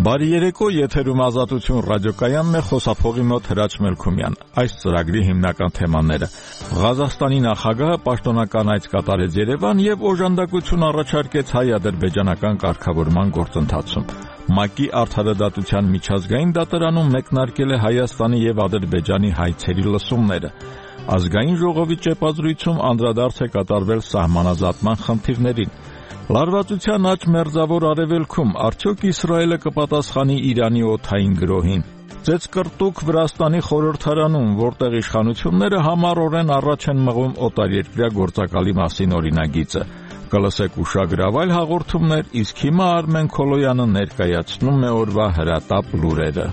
Բարի երեկո, եթերում Ազատություն ռադիոկայանն է, խոսափողի մոտ Հրաչ Մելքումյան։ Այս ծրագրի հիմնական թեմաները. Ղազախստանի նախագահը պաշտոնական այց կատարեց Երևան եւ օժանդակություն առաջարկեց հայ-ադրբեջանական կարգավորման գործընթացում։ ՄԱԿ-ի արդարադատության միջազգային դատարանում մեկնարկել է Հայաստանի եւ Ադրբեջանի հայցերի լսումները։ Ազգային ժողովի ճեպազրույցում անդրադարձ է կատարվել սահմանազատման խնդիրներին։ Լարվածության աճ մերձավոր արևելքում արդյոք Իսրայելը կպատասխանի Իրանի օդային գրոհին։ Ծեծկռտուք Վրաստանի խորհրդարանում, որտեղ իշխանությունները համառորեն առաջ են մղում օտարերկրյա գործակալի մասին օրինագիծը։ Կլսեք ուշագրավայր հաղորդումներ, իսկ հիմա Արմեն Քոլոյանը ներկայացնում է օրվա հրատապ լուրերը։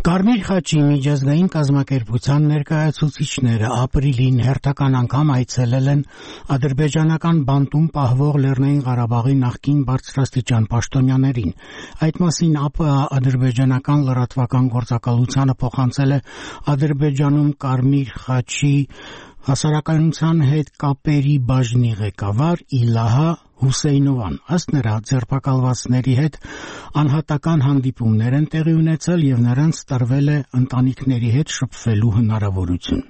Կարմիր խաչի միջազգային կազմակերպության ներկայացուցիչները ապրիլին հերթական անգամ այցելել են ադրբեջանական բանտում պահվող Լեռնային Ղարաբաղի նախկին բարձրաստիճան պաշտոնյաներին։ Այդ մասին ԱՊՀ ադրբեջանական լրատվական գործակալությանը փոխանցել է Ադրբեջանում Կարմիր խաչի հասարակայնության հետ կապերի բաժնի ղեկավար Իլահա Հուսեյնովան։ Ըստ նրա, ձերբակալվածների հետ անհատական հանդիպումներ են տեղի ունեցել եւ նրանց տրվել է ընտանիքների հետ շփվելու հնարավորություն։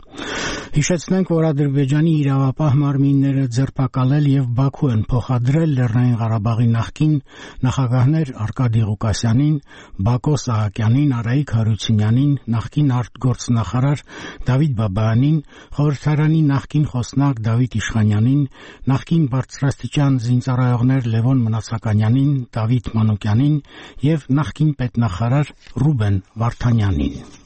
Հիշեցնենք, որ Ադրբեջանի իրավապահ մարմինները ձերբակալել եւ Բաքու են փոխադրել Լեռնային Ղարաբաղի նախկին նախագահներ Արկադի Ղուկասյանին, Բակո Սահակյանին, Արայիկ Հարությունյանին, նախկին արտգործնախարար Դավիթ Բաբայանին, խորհրդարանի նախկին խոսնակ Դավիթ Իշխանյանին, նախկին բարձրաստիճան զինծառայողներ Լևոն Մնացականյանին, Դավիթ Մանուկյանին եւ նախկին պետնախարար Ռուբեն Վարդանյանին։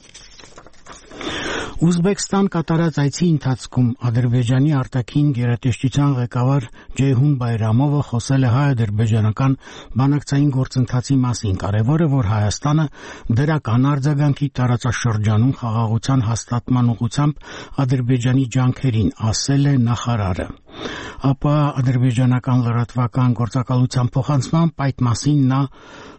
Ուզբեկստան կատարած այցի ընթացքում Ադրբեջանի արտաքին գերատեսչության ղեկավար Ջեյհուն Բայրամովը խոսել է հայ-ադրբեջանական բանակցային գործընթացի մասին։ Կարևոր է, որ Հայաստանը դրական արձագանքի տարածաշրջանում խաղաղության հաստատման ուղղությամբ Ադրբեջանի ջանքերին, ասել է նախարարը։ ԱՊՀ ադրբեջանական լրատվական գործակալության փոխանցմամբ այդ մասին նա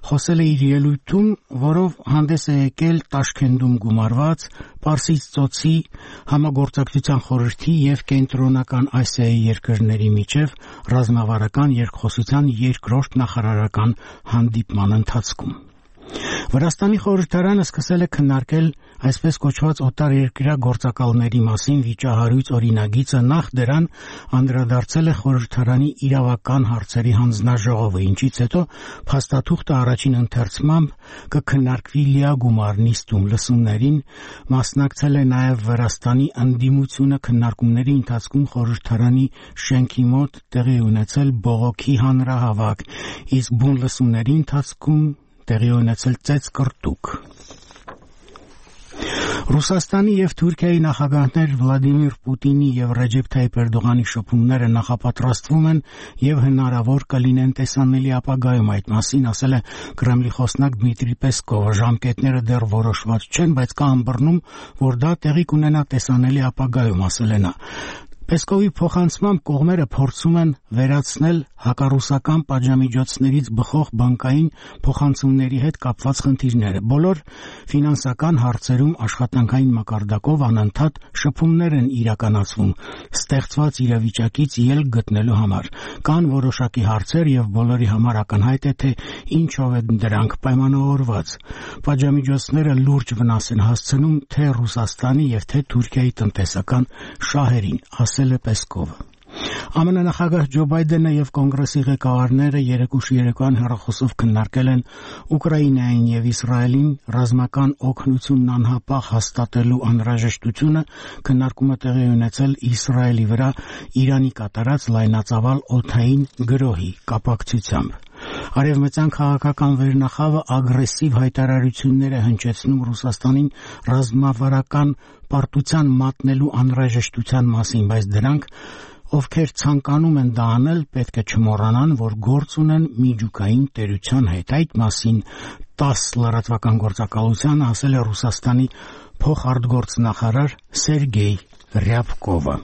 խոսել է իր ելույթում, որով հանդես է եկել Տաշքենդում գումարված Պարսից ծոցի համագործակցության խորհրդի եւ կենտրոնական Ասիայի երկրների միջև ռազմավարական երկխոսության երկրորդ նախարարական հանդիպման ընթացքում։ Վրաստանի խորհրդարանը սկսել է քննարկել այսպես կոչված օտարերկրյա գործակալների մասին վիճահարույց օրինագիծը, նախ դրան անդրադարձել է խորհրդարանի իրավական հարցերի հանձնաժողովը, ինչից հետո փաստաթուղթը առաջին ընթերցմամբ կքննարկվի լիագումար նիստում։ Լսումներին մասնակցել է նաև Վրաստանի ընդդիմությունը։ Քննարկումների ընթացքում խորհրդարանի շենքի մոտ տեղի ունեցել բողոքի հանրահավաք, իսկ բուն լսումների ընթացքում տեղի ունեցել ծեծկռտուք։ Ռուսաստանի եւ Թուրքիայի նախագահներ Վլադիմիր Պուտինի եւ Ռեջեփ Թայիփ Էրդողանի շփումները նախապատրաստվում են եւ հնարավոր կլինեն տեսանելի ապագայում։ Այդ մասին ասել է Կրեմլի խոսնակ Դմիտրի Պեսկովը։ Ժամկետները դեռ որոշված չեն, բայց կա ըմբռնում, որ դա տեղի կունենա տեսանելի ապագայում, ասել է նա։ Պեսկովի փոխանցմամբ կողմերը փորձում են վերացնել հակառուսական պատժամիջոցներից բխող բանկային փոխանցումների հետ կապված խնդիրները։ Բոլոր ֆինանսական հարցերում աշխատանքային մակարդակով անընդհատ շփումներ են իրականացվում ստեղծված իրավիճակից ելք գտնելու համար։ Կան որոշակի հարցեր եւ բոլորի համար ակնհայտ է, թե ինչով են դրանք պայմանավորված։ Պատժամիջոցները լուրջ վնաս են հասցնում թե Ռուսաստանի եւ թե Թուրքիայի տնտեսական շահերին, ասել է Պեսկովը։ ԱՄՆ նախագահ Ջո Բայդենը եւ կոնգրեսի ղեկավարները երեկոյան հեռախոսով քննարկել են Ուկրաինային եւ Իսրայելին ռազմական օգնությունն անհապաղ հաստատելու անհրաժեշտությունը։ Քննարկումը տեղի ունեցել Իսրայելի վրա Իրանի կատարած լայնածավալ օդային գրոհի կապակցությամբ։ Արևմտյան քաղաքական վերնախավը ագրեսիվ հայտարարություններ է հնչեցնում Ռուսաստանին ռազմավարական պարտության մատնելու անհրաժեշտության մասին, բայց դրանք, ովքեր ցանկանում են դա անել, պետք է չմոռանան, որ գործ ունեն միջուկային տերության հետ։ Այդ մասին ՏԱՍՍ լրատվական գործակալությանը ասել է Ռուսաստանի փոխարտգործնախարար Սերգեյ Ռյաբկովը։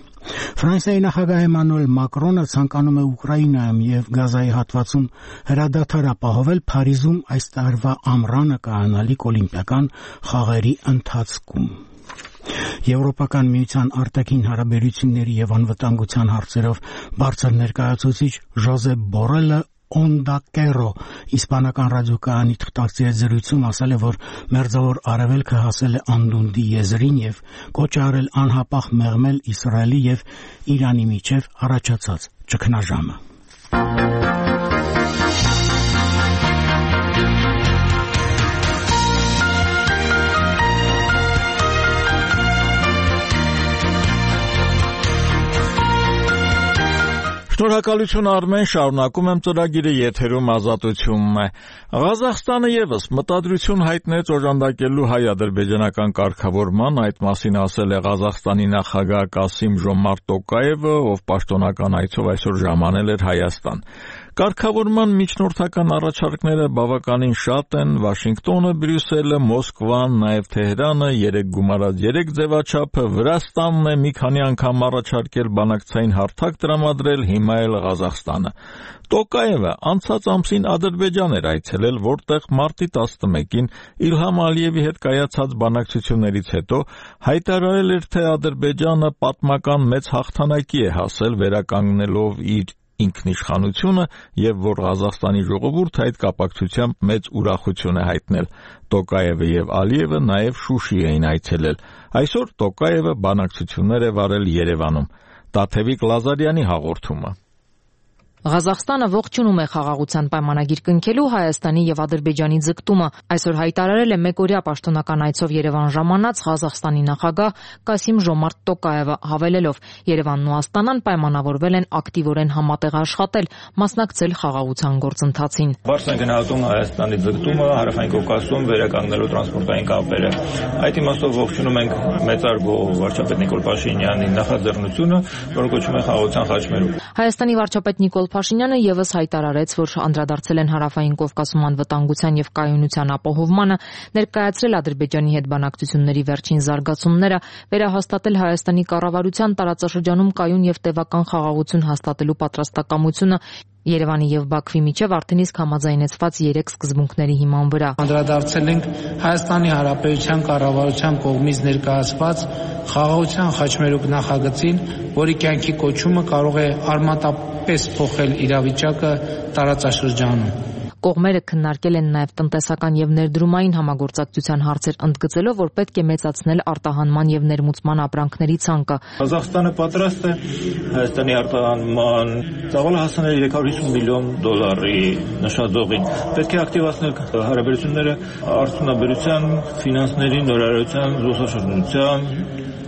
Ֆրանսիայի նախագահ Էմանուել Մակրոնը ցանկանում է Ուկրաինայում եւ Գազայի հատվածում հրադադար ապահովել Փարիզում այս տարվա ամռանը կայանալիք օլիմպիական խաղերի ընթացքում։ Եվրոպական միության արտաքին հարաբերությունների եւ անվտանգության հարցերով բարձր ներկայացուցիչ Ժոզեփ Բորելը Onda Kero իսպանական ռադիոկայանի թղթակցի հետ զրույցում ասել է, որ Մերձավոր Արևելքը հասել է անդունդի եզրին եւ կոչ արել անհապաղ մեղմել Իսրայելի եւ Իրանի միջև առաջացած ճգնաժամը։ Շնորհակալություն Արմեն, շարունակում եմ ծրագիրը, եթերում ազատությունն է։ Ղազախստանը եւս մտադրություն հայտնեց օժանդակելու հայ-ադրբեջանական կարգավորման, այդ մասին ասել է Ղազախստանի նախագահ Կասիմ Ժոմարտ Տոկաևը, ով պաշտոնական այցով այսօր ժամանել էր Հայաստան։ Կարգավորման միջնորդական առաջարկները բավականին շատ են, Վաշինգտոնը, Բրյուսելը, Մոսկվան, նաև Թեհրանը, 3+3 ձևաչափը, Վրաստանն է մի քանի անգամ առաջարկել բանակցային հարթակ տրամադրել, հիմա էլ Ղազախստանը։ Տոկաևը անցած ամսին Ադրբեջան էր այցելել, որտեղ մարտի 11-ին Իլհամ Ալիևի հետ կայացած բանակցություններից հետո հայտարարել էր, թե Ադրբեջանը պատմական մեծ հաղթանակի է հասել վերականգնելով իր ինքնիշխանությունը եւ որ Ղազախստանի ժողովուրդը այդ կապակցությամբ մեծ ուրախություն է հայտնել։ Տոկաևը եւ Ալիևը նաեւ Շուշի էին այցելել։ Այսօր Տոկաևը բանակցություններ է վարել Երևանում։ Տաթևիկ Լազարյանի հաղորդումը։ Ղազախստանը ողջունում է խաղաղության պայմանագիր կնքելու Հայաստանի եւ Ադրբեջանի ձգտումը։ Այսօր հայտարարել է մեկօրյա պաշտոնական այցով Երևան ժամանած Ղազախստանի նախագահ Կասիմ Ժոմարտ Տոկաևը, հավելելով. Երևանն ու Աստանան պայմանավորվել են ակտիվորեն համատեղ աշխատել, մասնակցել խաղաղության գործընթացին։ Բարձր են գնահատում Հայաստանի ձգտումը Հարավային Կովկասում վերականգնելու տրանսպորտային կապերը։ Այդ իմաստով ողջունում ենք մեծարգո վարչապետ Նիկոլ Փաշինյանի նախաձեռնությունը, որը կոչվում է խաղաղության խաչմերուկ։ Հայաստանի վարչապետ Նիկոլ Փաշինյանը եւս հայտարարեց, որ անդրադարձել են Հարավային Կովկասում անվտանգության եւ կայունության ապահովմանը, ներկայացրել Ադրբեջանի հետ բանակցությունների վերջին զարգացումները, վերահաստատել Հայաստանի կառավարության տարածաշրջանում կայուն եւ տևական խաղաղություն հաստատելու պատրաստակամությունը Երևանի եւ Բաքվի միջև արդեն իսկ համաձայնեցված 3 սկզբունքների հիման վրա։ Անդրադարձել ենք Հայաստանի Հանրապետության կառավարության կողմից ներկայացված խաղաղության խաչմերուկ նախագծին, որի կյանքի կոչումը կարող է արմատապես փոխել իրավիճակը տարածաշրջանում։ Կողմերը քննարկել են նաև տնտեսական եւ ներդրումային համագործակցության հարցեր, ընդգծելով, որ պետք է մեծացնել արտահանման եւ ներմուծման ապրանքների ցանկը։ Ղազախստանը պատրաստ է Հայաստանի արտահանման ծավալը հասնել 350 միլիոն դոլարի նշաձողին։ Պետք է ակտիվացնել հարաբերությունները արդյունաբերության, ֆինանսների, նորարարության, զբոսաշրջության,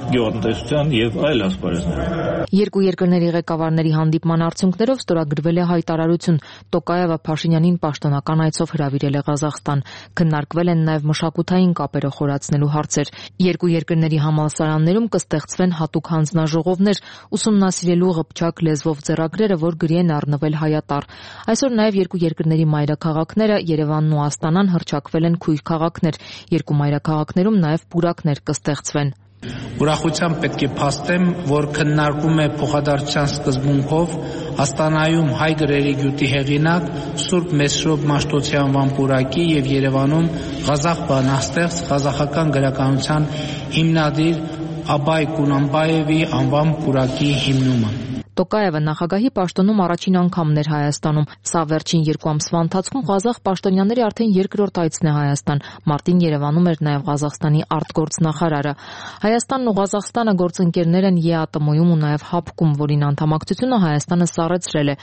գյուղատնտեսության եւ այլ ասպարեզներում։ Երկու երկրների ղեկավարների հանդիպման արդյունքներով ստորագրվել է հայտարարություն։ Տոկաևը Փաշինյանին պաշտոնական այցով հրավիրել է Ղազախստան։ Քննարկվել են նաև մշակութային կապերը խորացնելու հարցեր։ Երկու երկրների համալսարաններում կստեղծվեն հատուկ հանձնաժողովներ, ուսումնասիրելու ղփչակ լեզվով ձեռագրերը, որ գրի են առնվել հայատառ։ Այսօր նաև երկու երկրների մայրաքաղաքները Երևանն ու Աստանան հռչակվել են քույր քաղաքներ։ Երկու մայրաքաղաքներում նաև պուրակներ կստեղծվեն։ Ուրախությամբ պետք է փաստեմ, որ քննարկում է փոխադարձության սկզբունքով Աստանայում հայ գրերի գյուտի հեղինակ Սուրբ Մեսրոբ Մաշտոցի անվան պուրակի եւ Երևանում Ղազախ բանաստեղծ ղազախական գրականության հիմնադիր Աբայ Կունանբաևի անվան պուրակի հիմնումը։ Տոկաևը նախագահի պաշտոնում առաջին անգամն էր Հայաստանում։ Սա վերջին 2 ամսվա ընթացքում ղազախ պաշտոնյաների արդեն երկրորդ այցն է Հայաստան։ Մարտին Երևանում էր նաև Ղազախստանի արտգործնախարարը։ Հայաստանն ու Ղազախստանը գործընկերներ են ԵԱՏՄ-ում ու նաև ՀԱՊԿ-ում, որին անդամակցությունը Հայաստանը սառեցրել է։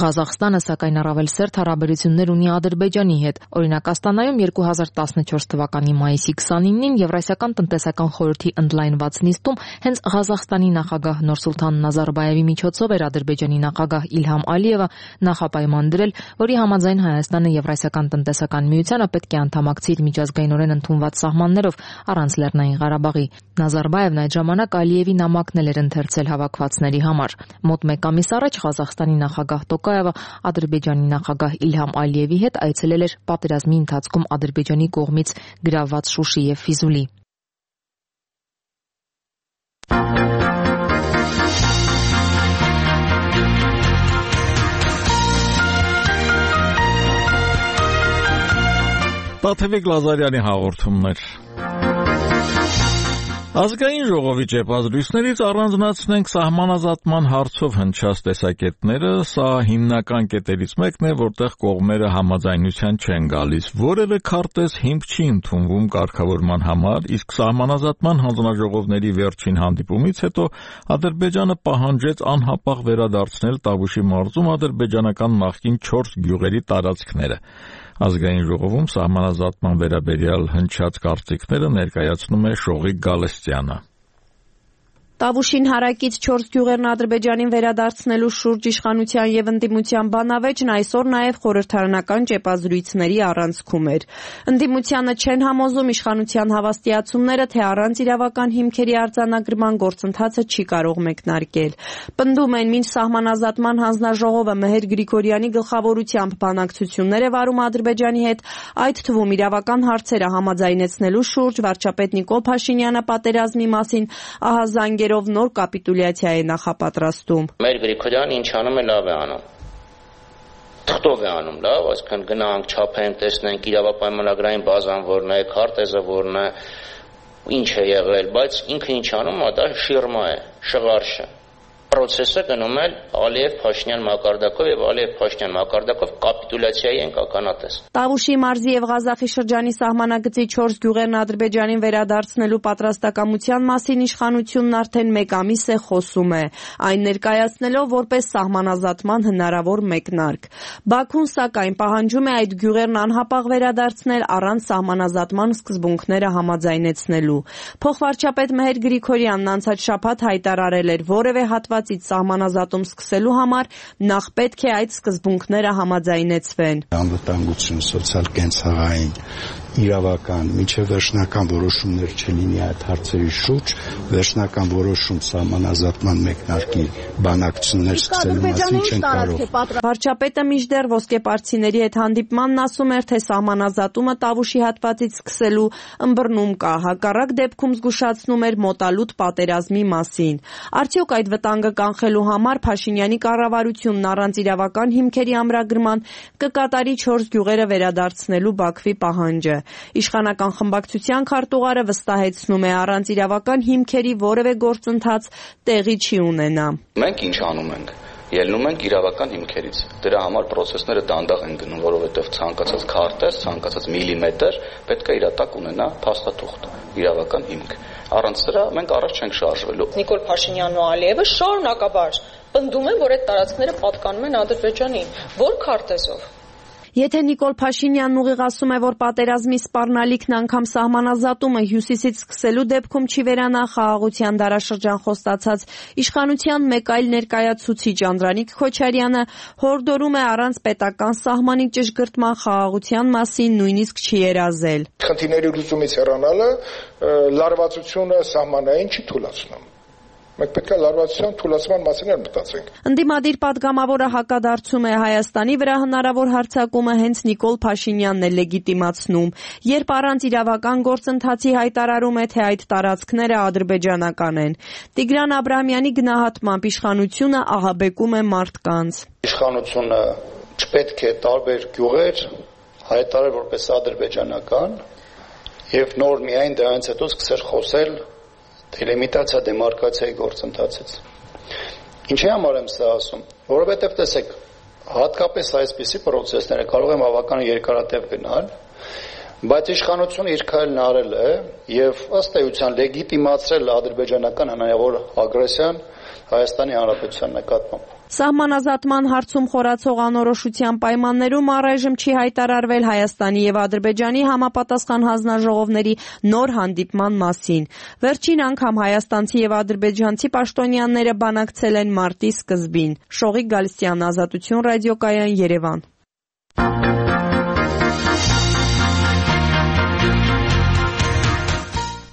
Ղազախստանը սակայն առավել սերտ հարաբերություններ ունի Ադրբեջանի հետ։ Օրինակ Աստանայում 2014 թվականի մայիսի 29-ին Եվրասիական տնտեսական խորհրդի ընդլայնված նիստում հենց Ղազախստանի նախագահ Նուրսուլթան Նազարբաևի միջոցով էր Ադրբեջանի նախագահ Իլհամ Ալիևը նախապայման դրել, որի համաձայն Հայաստանը Եվրասիական տնտեսական միությանը պետք է անդամակցի իր միջազգայինորեն ընդունված սահմաններով առանց Լեռնային Ղարաբաղի։ Նազարբաևն այդ ժամանակ Ալիևի նամակն էր ընթերցել հավաքվածների համար։ Մոտ 1 ամիս առաջ Ղազախստանի նախագահ Տոկաևը Ադրբեջանի նախագահ Իլհամ Ալիևի հետ այցելել էր պատերազմի ընթացքում Ադրբեջանի կողմից գրավված Շուշի եւ Ֆիզուլի։ Տաթևիկ Լազարյանի հաղորդումներ։ Ազգային ժողովի ճեպազրույցներից առանձնացնենք սահմանազատման հարցով հնչած տեսակետները, սա հիմնական կետերից մեկն է, որտեղ կողմերը համաձայնության չեն գալիս։ Որևէ քարտեզ հիմք չի ընդունվում կարգավորման համար, իսկ սահմանազատման հանձնաժողովների վերջին հանդիպումից հետո Ադրբեջանը պահանջեց անհապաղ վերադարձնել Տավուշի մարզում ադրբեջանական նախկին 4 գյուղերի տարածքները։ Ազգային ժողովում սահմանազատման վերաբերյալ հնչած կարծիքները ներկայացնում է Շողիկ Գալստյանը։ Տավուշին հարակից 4 գյուղերն Ադրբեջանին վերադարձնելու շուրջ իշխանության եւ ընդդիմության բանավեճն այսօր նաեւ խորհրդարանական ճեպազրույցների առանցքում էր։ Ընդդիմությանը չեն համոզում իշխանության հավաստիացումները, թե առանց իրավական հիմքերի արձանագրման գործընթացը չի կարող մեկնարկել։ Պնդում են, մինչ սահմանազատման հանձնաժողովը Մեհեր Գրիգորյանի գլխավորությամբ բանակցություններ է վարում Ադրբեջանի հետ, այդ թվում իրավական հարցերը համաձայնեցնելու շուրջ վարչապետ Նիկոլ Փաշինյանը պատերազմի մասին ահազանգերով նոր կապիտուլյացիա է նախապատրաստում։ Մեր Գրիգորյանը ինչ անում է, լավ է անում։ Թղթով է անում, լավ, այսինքն գնանք, չափենք, տեսնենք իրավապայմանագրային բազան որն է, քարտեզը որն է, ինչ է եղել, բայց ինքը ինչ անում է, դա շիրմա է, շղարշ է։ Պրոցեսը գնում է Ալիև-Փաշինյան մակարդակով եւ Ալիև-Փաշինյան մակարդակով կապիտուլյացիայի ենք ականատես։ Տավուշի մարզի եւ Ղազախի շրջանի սահմանագծի 4 գյուղերն Ադրբեջանին վերադարձնելու պատրաստակամության մասին իշխանությունն արդեն 1 ամիս է խոսում է, այն ներկայացնելով որպես սահմանազատման հնարավոր մեկնարկ։ Բաքուն սակայն պահանջում է այդ գյուղերն անհապաղ վերադարձնել առանց սահմանազատման սկզբունքները համաձայնեցնելու։ Փոխվարչապետ Մեհեր Գրիգորյանն անցած շաբաթ հայտարարել էր, որևէ հատվածից սահմանազատում սկսելու համար նախ պետք է այդ սկզբունքները համաձայնեցվեն։ Անվտանգություն, սոցիալ-կենցաղային, իրավական, միջև վերջնական որոշումներ չլինի այդ հարցերի շուրջ, վերջնական որոշում սահմանազատման մեկնարկի բանակցություններ սկսելու մասին չեն կարող։ Վարչապետը մինչդեռ ոսկեպարծիների հետ հանդիպմանն ասում էր, թե սահմանազատումը Տավուշի հատվածից սկսելու ըմբռնում կա, հակառակ դեպքում զգուշացնում էր մոտալուտ պատերազմի մասին։ Արդյոք այդ վտանգը կանխելու համար Փաշինյանի կառավարությունն առանց իրավական հիմքերի ամրագրման կկատարի 4 գյուղերը վերադարձնելու Բաքվի պահանջը։ Իշխանական խմբակցության քարտուղարը վստահեցնում է, առանց իրավական հիմքերի որևէ գործընթաց տեղի չի ունենա։ Մենք ինչ անում ենք։ Ելնում ենք իրավական հիմքերից։ Դրա համար process-ները դանդաղ են գնում, որովհետև ցանկացած քարտեզ, ցանկացած միլիմետր պետք է իր տակ ունենա փաստաթուղթ, իրավական հիմք։ Առանց դրա մենք առաջ չենք շարժվելու։ Նիկոլ Փաշինյանն ու Ալիևը շարունակաբար պնդում են, որ այդ տարածքները պատկանում են Ադրբեջանին։ Որ քարտեզով։ Եթե Նիկոլ Փաշինյանն ուղիղ ասում է, որ պատերազմի սպառնալիքն անգամ սահմանազատումը հյուսիսից սկսելու դեպքում չի վերանա, խաղաղության դարաշրջան խոստացած իշխանության մեկ այլ ներկայացուցիչ Անդրանիկ Քոչարյանը հորդորում է առանց պետական սահմանի ճշգրտման խաղաղության մասին նույնիսկ չի երազել։ Խնդիրների լուծումից հեռանալը լարվածությունը սահմանային չի թույլատնում։ Մենք պետք է լարվածության թույլատման մասին մտածենք։ Ընդդիմադիր պատգամավորը հակադարձում է Հայաստանի վրա հնարավոր հարձակումը հենց Նիկոլ Փաշինյանն է լեգիտիմացնում, երբ առանց իրավական գործընթացի հայտարարում է, թե այդ տարածքները ադրբեջանական են։ Տիգրան Աբրահամյանի գնահատմամբ իշխանությունը ահաբեկում է մարդկանց։ Իշխանությունը չպետք է տարբեր գյուղեր հայտարարել որպես ադրբեջանական եւ նոր միայն դրանից հետո սկսել խոսել դելիմիտացիա դեմարկացիայի գործընթացից։ Ինչի համար եմ սա ասում, որովհետև տեսեք, հատկապես այսպիսի process-ները կարող են բավական երկարատև գնալ, բայց իշխանությունը իր քայլն արել է եւ ըստ էության լեգիտիմացրել ադրբեջանական հնարավոր ագրեսիան Հայաստանի Հանրապետության նկատմամբ։ Սահմանազատման հարցում խորացող անորոշության պայմաններում առայժմ չի հայտարարվել Հայաստանի եւ Ադրբեջանի համապատասխան հանձնաժողովների նոր հանդիպման մասին։ Վերջին անգամ հայաստանցի եւ ադրբեջանցի պաշտոնյաները բանակցել են մարտի սկզբին։ Շողիկ Գալստյան, Ազատություն ռադիոկայան, Երևան։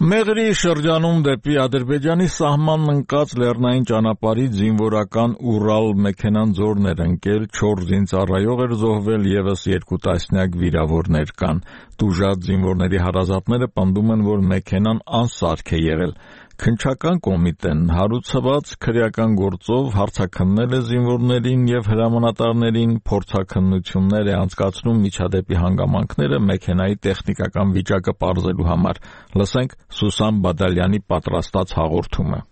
Մեղրի շրջանում դեպի Ադրբեջանի սահմանն ընկած լեռնային ճանապարհից զինվորական Ուրալ մեքենան ձորն էր ընկել, 4 զինծառայող էր զոհվել, եւս 2 տասնյակ վիրավորներ կան։ Տուժած զինվորների հարազատները պնդում են, որ մեքենան անսարք է եղել։ Քննչական կոմիտեն հարուցված քրեական գործով հարցաքննել է զինվորներին եւ հրամանատարներին, փորձաքննություններ է անցկացնում միջադեպի հանգամանքները մեքենայի տեխնիկական վիճակը պարզելու համար։ Լսենք Սուսան Բադալյանի պատրաստած հաղորդումը։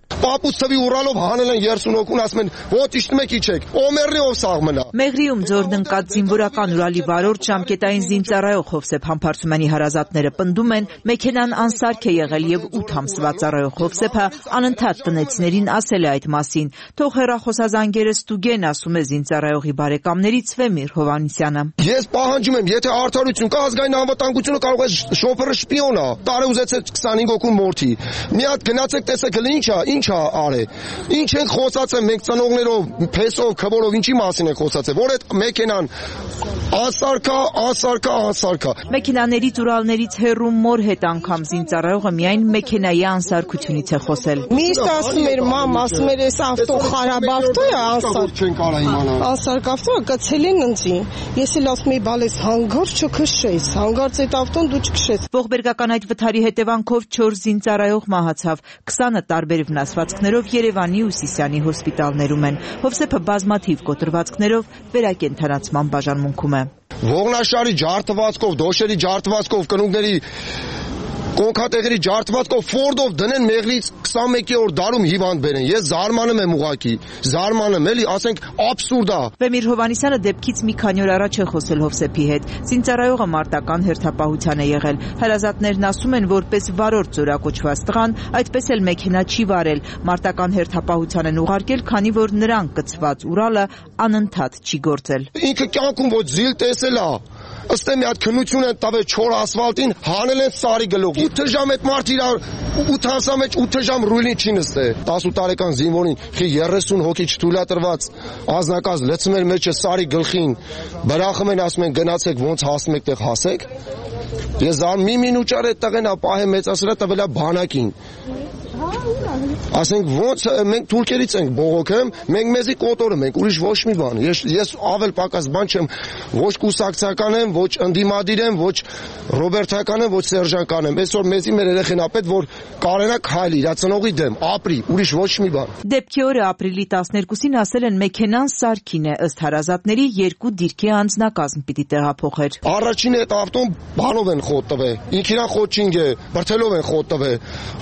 Պապուց թվի ուրալով հանել են 30 հոգուն, ասում են ոչ իշտում եք իջեք, օմերնի ով սաղ մնա։ Մեղրիում ձորն ընկած զինվորական Ուրալի վարորդ ժամկետային զինծառայող Հովսեփ Համբարձումյանի հարազատները պնդում են, մեքենան անսարք է եղել եւ 8 ամսվա ծառայող Հովսեփը անընդհատ տնեցիներին ասել է այդ մասին։ Թող հեռախոսազանգերը ստուգեն, ասում է զինծառայողի բարեկամներից Վեմիր Հովանիսյանը։ Ես պահանջում եմ, եթե արդարություն կա, ազգային անվտանգությունը կարող է շոֆերը շպիոն է, տարեուզեցեք 25 հոգու մորթի։ Մի հատ գնացեք տեսեք ինչ արե։ Ինչ ենք խոսացել մենք ծնողներով, փեսով, քվորով, ինչի մասին ենք խոսացել, որ այդ մեքենան անսարքա։ Մեքենաներից Ուրալներից հեռու մոր հետ անգամ զինծառայողը միայն մեքենայի անսարքությունից է խոսել։ Միշտ ասում էր մամ, ասում էր այս ավտո խարաբ ավտո է, անսարք ավտո կցել են ինձի։ Ես էլ ասում եի, բալես հանգարց չքշես, հանգարց այդ ավտոն դու չքշես։ Ողբերգական այդ վթարի հետևանքով 4 զինծառայող մահացավ, 20 տարբեր վնասվածքներով Երևանի ու Սիսիանի հոսպիտալներում են։ Հովսեփը բազմաթիվ կոտրվածքներով վերակենդանացման բաժանմունքում է։ Ողնաշարի ջարդվածքով, դոշերի ջարդվածքով, կնունկների կոնքատեղերի ջարդվածքով Ֆորդով դնեն Մեղրից 21-րդ դարում հիվանդ բերեն։ Ես զարմանում եմ ուղակի, էլի, ասենք աբսուրդ է։ Վեմիր Հովանիսյանը դեպքից մի քանի օր առաջ է խոսել Հովսեփի հետ։ Զինծառայողը մարտական հերթապահության է եղել։ Հարազատներն ասում են, որպես վարորդ զորակոչված տղան, այդպես էլ մեքենա չի վարել։ Մարտական հերթապահության են ուղարկել, քանի որ նրան կցված Ուրալը անընդհատ չի գործել։ Ինքը կյանքում ոչ զիլ տեսել է։ Ըստ մի հատ քննություն են տվել չոր ասֆալտին, հանել են սարի գլուխ։ 8 ժամ այդ մարդ իր 8 ամսա մեջ 8 ժամ ռուլին չի նստել։ 18 տարեկան զինվորին 30 հոգի չթույլատրված ազնագազ լցում էր մեջը սարի գլխին։ Բրախում են, ասում են գնացեք ոնց հասնում եք տեղ հասեք։ Ես մի մինուճար այդ տղեն ապահե մեծասրա տվել է բանակին։ Ասենք ոնց մենք թուրքերից ենք բողոքեմ, մենք մեզի կոտորում ենք, ուրիշ ոչ մի բան։ Ես ավել պակաս բան չեմ, ոչ կուսակցական եմ, ոչ ընդդիմադիր եմ, ոչ ռոբերտական եմ, ոչ սերժանական եմ։ Այսօր մեզի մեր երեխեն ապետ, որ կարենա քայլի, իր ծնողի դեմ, ապրի, ուրիշ ոչ մի բան։ Դեպքի օրը ապրիլի 12-ին ասել են մեքենան սարքին է, ըստ հարազատների 2 դիրքի անձնակազմ պիտի տեղափոխեր։ Առաջին այդ ավտոն բանով են խոտ տվել, ինքնին խոչինգ է, բրթելով են խոտ տվել,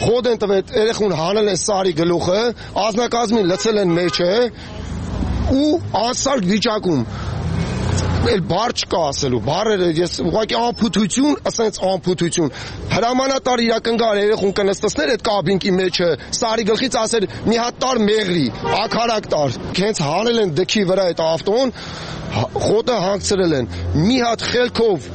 խոտ են տվել, երեխուն հանել են սարի գլուխը, ազնագազմին լցել են մեջը ու անսարք վիճակում։ Էլ բար չկա ասելու, բարերը ես ուղղակի անփութություն, ասենց անփութություն։ Հրամանատար իրակնգար երեխուն կնստեցներ այդ կաբինկի մեջը, սարի գլխից ասել մի հատ տար Մեղրի, ակարակ տար։ Հենց հանել են դքի վրա այդ ավտոն, խոտը հանգցրել են։ Մի հատ խելքով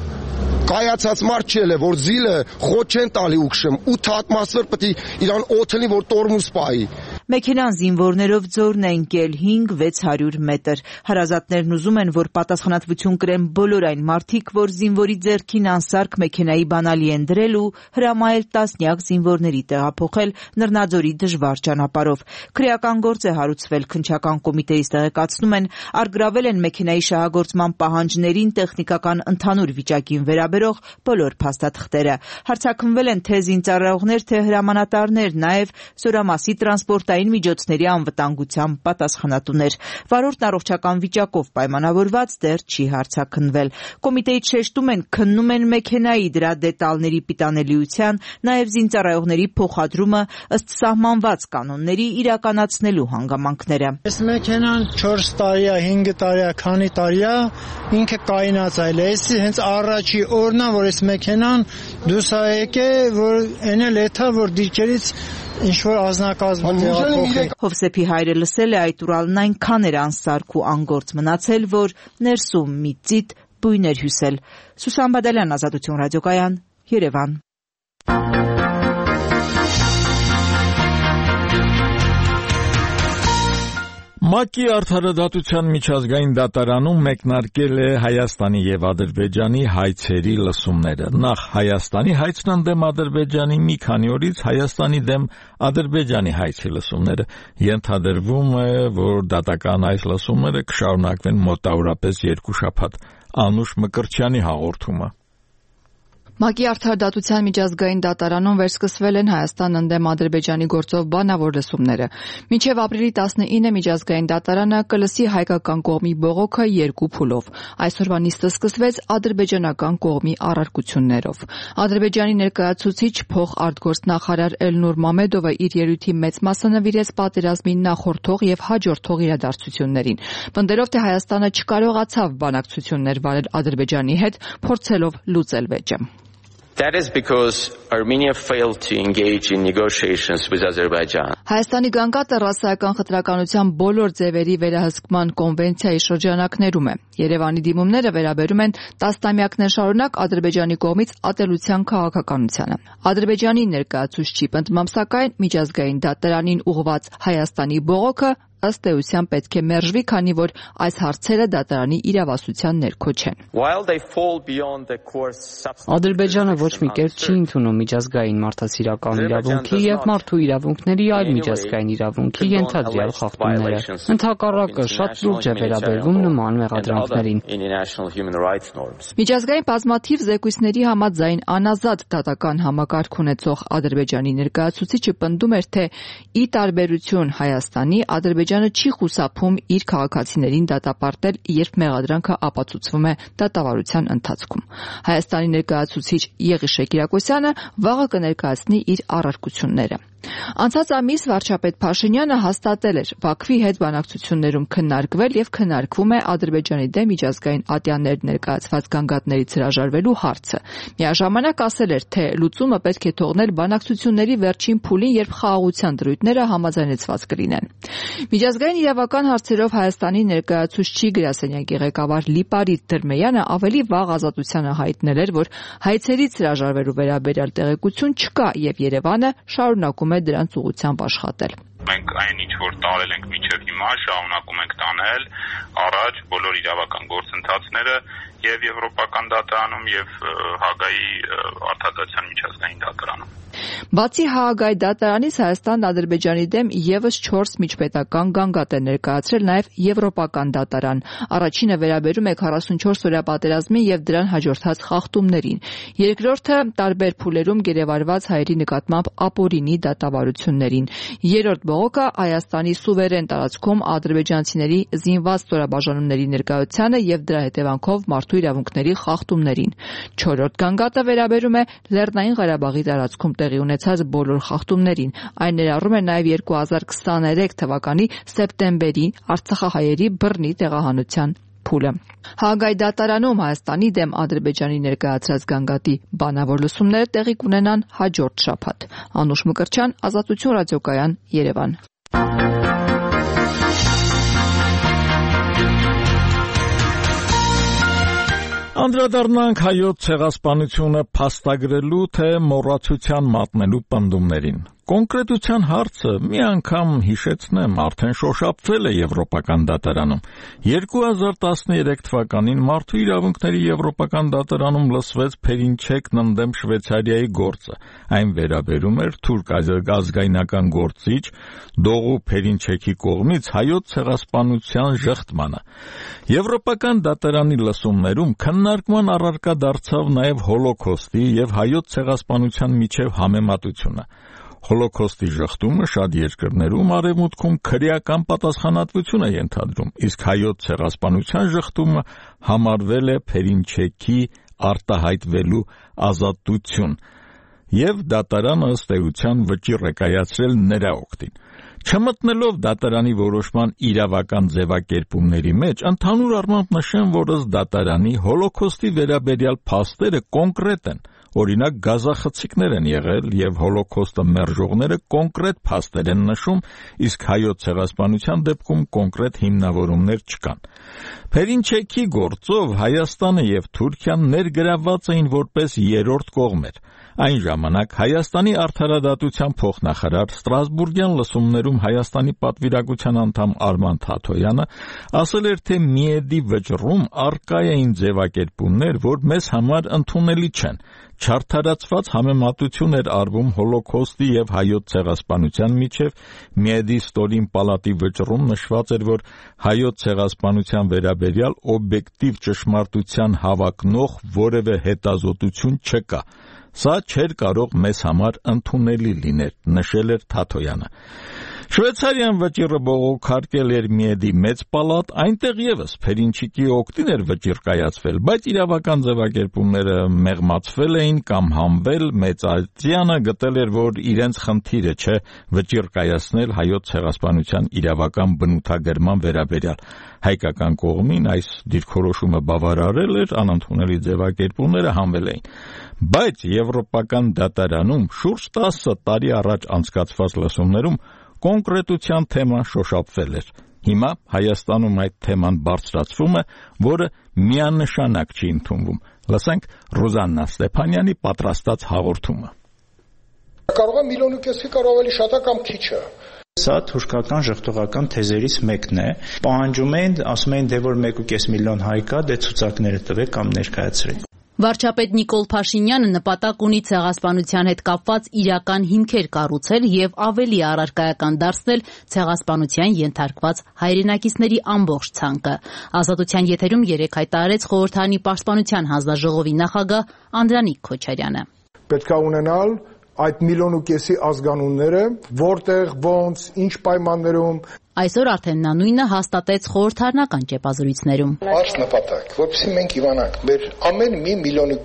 կայացած մարդ չէ, որ զիլը խոտ չեն տալի ու քշում, 8 հատ մասվեր պետք է իրան օթելի, որ տորմուս պայի։ Մեքենան զինվորներով ձորն է ընկել 5-600 մետր։ Հարազատներն ուզում են, որ պատասխանատվություն կրեն բոլոր այն մարդիկ, որ զինվորի ձեռքին անսարք մեքենայի բանալի են դրել ու հրամայել տասնյակ զինվորների տեղափոխել Նռնաձորի դժվար ճանապարհով։ Քրեական գործ է հարուցվել, քննչական կոմիտեից տեղեկացնում են, առգրավել են մեքենայի շահագործման պահանջներին, տեխնիկական ընդհանուր վիճակին վերաբերող բոլոր փաստաթղթերը։ Հարցաքննվել են թե զինծառայողներ, թե հրամանատարներ, նաև Սորամասի տրանսպորտային միջոցների անվտանգության պատասխանատուներ։ Վարորդն առողջական վիճակով պայմանավորված դեռ չի հարցաքննվել։ Կոմիտեից շեշտում են, քննում են մեքենայի դրա դետալների պիտանելիության, նաև զինծառայողների փոխադրումը ըստ սահմանված կանոնների իրականացնելու հանգամանքները։ Այս մեքենան 4 տարի է, 5 տարի է, քանի տարի է, ինքը կայնացել է։ Այս հենց առաջի օրն է, որ այս մեքենան դուրս է եկել, որ էնել էթա, որ դիրքերից ինչ-որ ազնագազմ տեղափոխել։ Հովսեփի հայրը լսել է այդ Ուրալն այնքան էր անսարք ու անգործ մնացել, որ ներսում մի ծիտ բույն էր հյուսել։ Սուսան Բադալյան, Ազատություն ռադիոկայան, Երևան։ ՄԱԿ-ի արդարադատության միջազգային դատարանում մեկնարկել է Հայաստանի եւ Ադրբեջանի հայցերի լսումները։ Նախ Հայաստանի հայցն ընդդեմ Ադրբեջանի, մի քանի օրից Հայաստանի դեմ Ադրբեջանի հայցի լսումները։ Ենթադրվում է, որ դատական այս լսումները կշարունակվեն մոտավորապես 2 շաբաթ։ Անուշ Մկրտչյանի հաղորդումը։ ՄԱԿ-ի Արդարադատության միջազգային դատարանում վերսկսվել են Հայաստան ընդդեմ Ադրբեջանի գործով բանավոր լսումները։ Մինչև ապրիլի 19-ը միջազգային դատարանը կլսի հայկական կողմի բողոքը 2 փուլով։ Այսօրվա նիստը սկսվեց ադրբեջանական կողմի առարկություններով։ Ադրբեջանի ներկայացուցիչ փոխարտգործնախարար Էլնուր Մամեդովը իր ելույթի մեծ մասը նվիրեց պատերազմին նախորդող եւ հաջորդող իրադարձություններին։ Պնդելով, թե Հայաստանը չկարողացավ բանակցություններ վարել Ադրբեջանի հետ, փորձելով լուծել վեճը։ That is because Armenia failed to engage in negotiations with Azerbaijan. Հայաստանի գանգատը ռասայական խտրականության բոլոր ձևերի վերահսկման կոնվենցիայի շրջանակներում է։ Երևանի դիմումները վերաբերում են տասնամյակներ շարունակ Ադրբեջանի կողմից ատելության քաղաքականությանը։ Ադրբեջանի ներկայացուցչի պնդմամբ սակայն միջազգային դատարանին ուղղված Հայաստանի բողոքը ըստ էության պետք է մերժվի, քանի որ այս հարցերը դատարանի իրավասության ներքո չեն։ Ադրբեջանը ոչ մի կերպ չի ընդունում միջազգային մարդասիրական իրավունքի եւ մարդու իրավունքների այլ միջազգային իրավունքի ենթադրյալ խախտումները։ Ընդհակառակը շատ լուրջ է վերաբերվում նման մեղադրանքներին։ Միջազգային բազմաթիվ զեկույցների համաձայն անազատ դատական համակարգ ունեցող Ադրբեջանի ներկայացուցիչը պնդում էր, թե ի տարբերություն Հայաստանի, Ադրբեջանը չի խուսափում իր քաղաքացիներին դատապարտել, երբ մեղադրանքը ապացուցվում է դատավարության ընթացքում։ Հայաստանի ներկայացուցիչ Եղիշե Կիրակոսյանը վաղը կներկայացնի իր առարկությունները։ Անցած ամիս վարչապետ Փաշինյանը հաստատել էր Բաքվի հետ բանակցություններում քննարկվել եւ քննարկվում է Ադրբեջանի դեմ միջազգային ատյաններ ներկայացված գանգատներից հրաժարվելու հարցը։ Միաժամանակ ասել էր, թե լուծումը պետք է թողնել բանակցությունների վերջին փուլին, երբ խաղաղության դրույթները համաձայնեցված կլինեն։ Միջազգային իրավական հարցերով Հայաստանի ներկայացուցչի գրասենյակի ղեկավար Լիպարիտ Դրմեյանը ավելի վաղ ազատությանը հայտնել էր, որ հայցերից հրաժարվելու վերաբերյալ տեղեկություն չկա եւ Երևանը շարունակում է դրանց ուղղությամբ աշխատել։ Մենք այն ինչ որ տարել ենք մինչև հիմա շարունակում ենք տանել առաջ բոլոր իրավական գործընթացները եւ Եվրոպական դատարանում եւ Հաագայի Արդարադատության միջազգային դատարանում։ Բացի Հաագայի դատարանից Հայաստանն Ադրբեջանի դեմ եւս 4 միջպետական գանգատ է ներկայացրել նաեւ Եվրոպական դատարան։ Առաջինը վերաբերում է 44-օրյա պատերազմին եւ դրան հաջորդած խախտումներին։ Երկրորդը տարբեր փուլերում գերեվարված հայերի նկատմամբ ապօրինի դատավարություններին։ Երրորդ բողոքը Հայաստանի սուվերեն տարածքում ադրբեջանցիների զինված ստորաբաժանումների ներկայությանը եւ դրա հետևանքով մարդու իրավունքների խախտումներին։ Չորրորդ գանգատը վերաբերում է Լեռնային Ղարաբաղի տարածքում տեղի ունեցած բոլոր խախտումներին։ Այն ներառում է նաև 2023 թվականի սեպտեմբերի արցախահայերի բռնի տեղահանության փուլը։ Հաագայի դատարանում Հայաստանի դեմ Ադրբեջանի ներկայացրած գանգատի բանավոր լսումները տեղի կունենան հաջորդ շաբաթ։ Անուշ Մկրտչյան, Ազատություն ռադիոկայան, Երևան։ Անդրադառնանք հայոց ցեղասպանությունը փաստագրելու թե մոռացության մատնելու պնդումներին։ Կոնկրետության հարցը մի անգամ հիշեցնեմ, արդեն շոշափվել է Եվրոպական դատարանում։ 2013 թվականին Մարդու իրավունքների Եվրոպական դատարանում լսվեց Փերինչեկն ընդդեմ Շվեյցարիայի գործը։ Այն վերաբերում էր թուրք ազգայնական գործիչ Դողու Փերինչեկի կողմից հայոց ցեղասպանության ժխտմանը։ Եվրոպական դատարանի լսումներում քննարկման առարկա դարձավ նաև Հոլոքոստի եւ հայոց ցեղասպանության միջև համեմատությունը։ Հոլոքոստի ժխտումը շատ երկրներում արևմուտքում քրեական պատասխանատվություն է ենթադրում, իսկ հայոց ցեղասպանության ժխտումը համարվել է Փերինչեկի արտահայտվելու ազատություն, եւ դատարանը ըստ էության վճիռ է կայացրել նրա օգտին։ Չմտնելով դատարանի որոշման իրավական ձևակերպումների մեջ, ընդհանուր առմամբ նշեմ, որ ըստ դատարանի Հոլոքոստի վերաբերյալ փաստերը կոնկրետ են։ Օրինակ գազախցիկներ են եղել եւ Հոլոքոստը մերժողները կոնկրետ փաստեր են նշում, իսկ հայոց ցեղասպանության դեպքում կոնկրետ հիմնավորումներ չկան։ Փերինչեկի գործով Հայաստանը եւ Թուրքիան ներգրավված էին որպես երրորդ կողմեր։ Այն ժամանակ Հայաստանի արդարադատության փոխնախարար Ստրասբուրգյան լսումներում Հայաստանի պատվիրակության անդամ Արման Թաթոյանը ասել էր, թե միեդի վճռում առկա էին ձևակերպումներ, որ մեզ համար ընդունելի չեն։ Չարդարացված համեմատություն էր արվում հոլոքոստի եւ հայոց ցեղասպանության միջև, միեդի ստորին պալատի վճռում նշված էր, որ հայոց ցեղասպանության վերաբերյալ օբյեկտիվ ճշմարտության հավակնող որևէ հետազոտություն չկա։ Սա չէր կարող մեզ համար ընդունելի լինել, նշել էր Թաթոյանը։ Շվեյցարիան վճիռը բողոքարկել էր միեդի մեծ պալատ, այնտեղ եւս Փերինչիկի օգտին էր վճիռ կայացվել, բայց իրավական ձևակերպումները մեղմացվել էին կամ հանվել, Մեծազիանը գտել էր, որ իրենց խնդիրը չէ վճիռ կայացնել հայոց ցեղասպանության իրավական բնութագրման վերաբերյալ։ Հայկական կողմին այս դիրքորոշումը բավարարել էր, անընդունելի ձևակերպումները հանվել էին։ Բայց Եվրոպական դատարանում շուրջ 10 տարի առաջ անցկացված լսումներում կոնկրետության թեման շոշափվել էր։ Հիմա Հայաստանում այդ թեման բարձրացվում է, որը միանշանակ չի ընդունվում։ Լսենք Ռուզաննա Ստեփանյանի պատրաստած հաղորդումը։ Կարող է 1.5 միլիոնի կարող ավելի շատ է կամ քիչ է։ Սա թուրքական ժխտողական թեզերից մեկն է։ Պահանջում են, ասում են, դե որ 1.5 միլիոն հայ կա, դե ցուցակները տվեք կամ ներկայացրեք։ Վարչապետ Նիկոլ Փաշինյանը նպատակ ունի ցեղասպանության հետ կապված իրական հիմքեր կառուցել եւ ավելի առարկայական դարձնել ցեղասպանության ենթարկված հայրենակիցների ամբողջ ցանկը։ Ազատության եթերում երեկ հայտարարեց խորհրդարանի պաշտպանության հանձնաժողովի նախագահ Անդրանիկ Քոչարյանը։ Պետք է ունենալ այդ 1.5 միլիոնի ազգանունները, որտեղ, ոնց, ինչ պայմաններում։ Այսօր արդեն նա նույնը հաստատեց խորհրդարանական ճեպազրույցներում։ Արս նպատակ, որովհետեւ մենք իմանանք, մեր ամեն 1.5 միլիոնի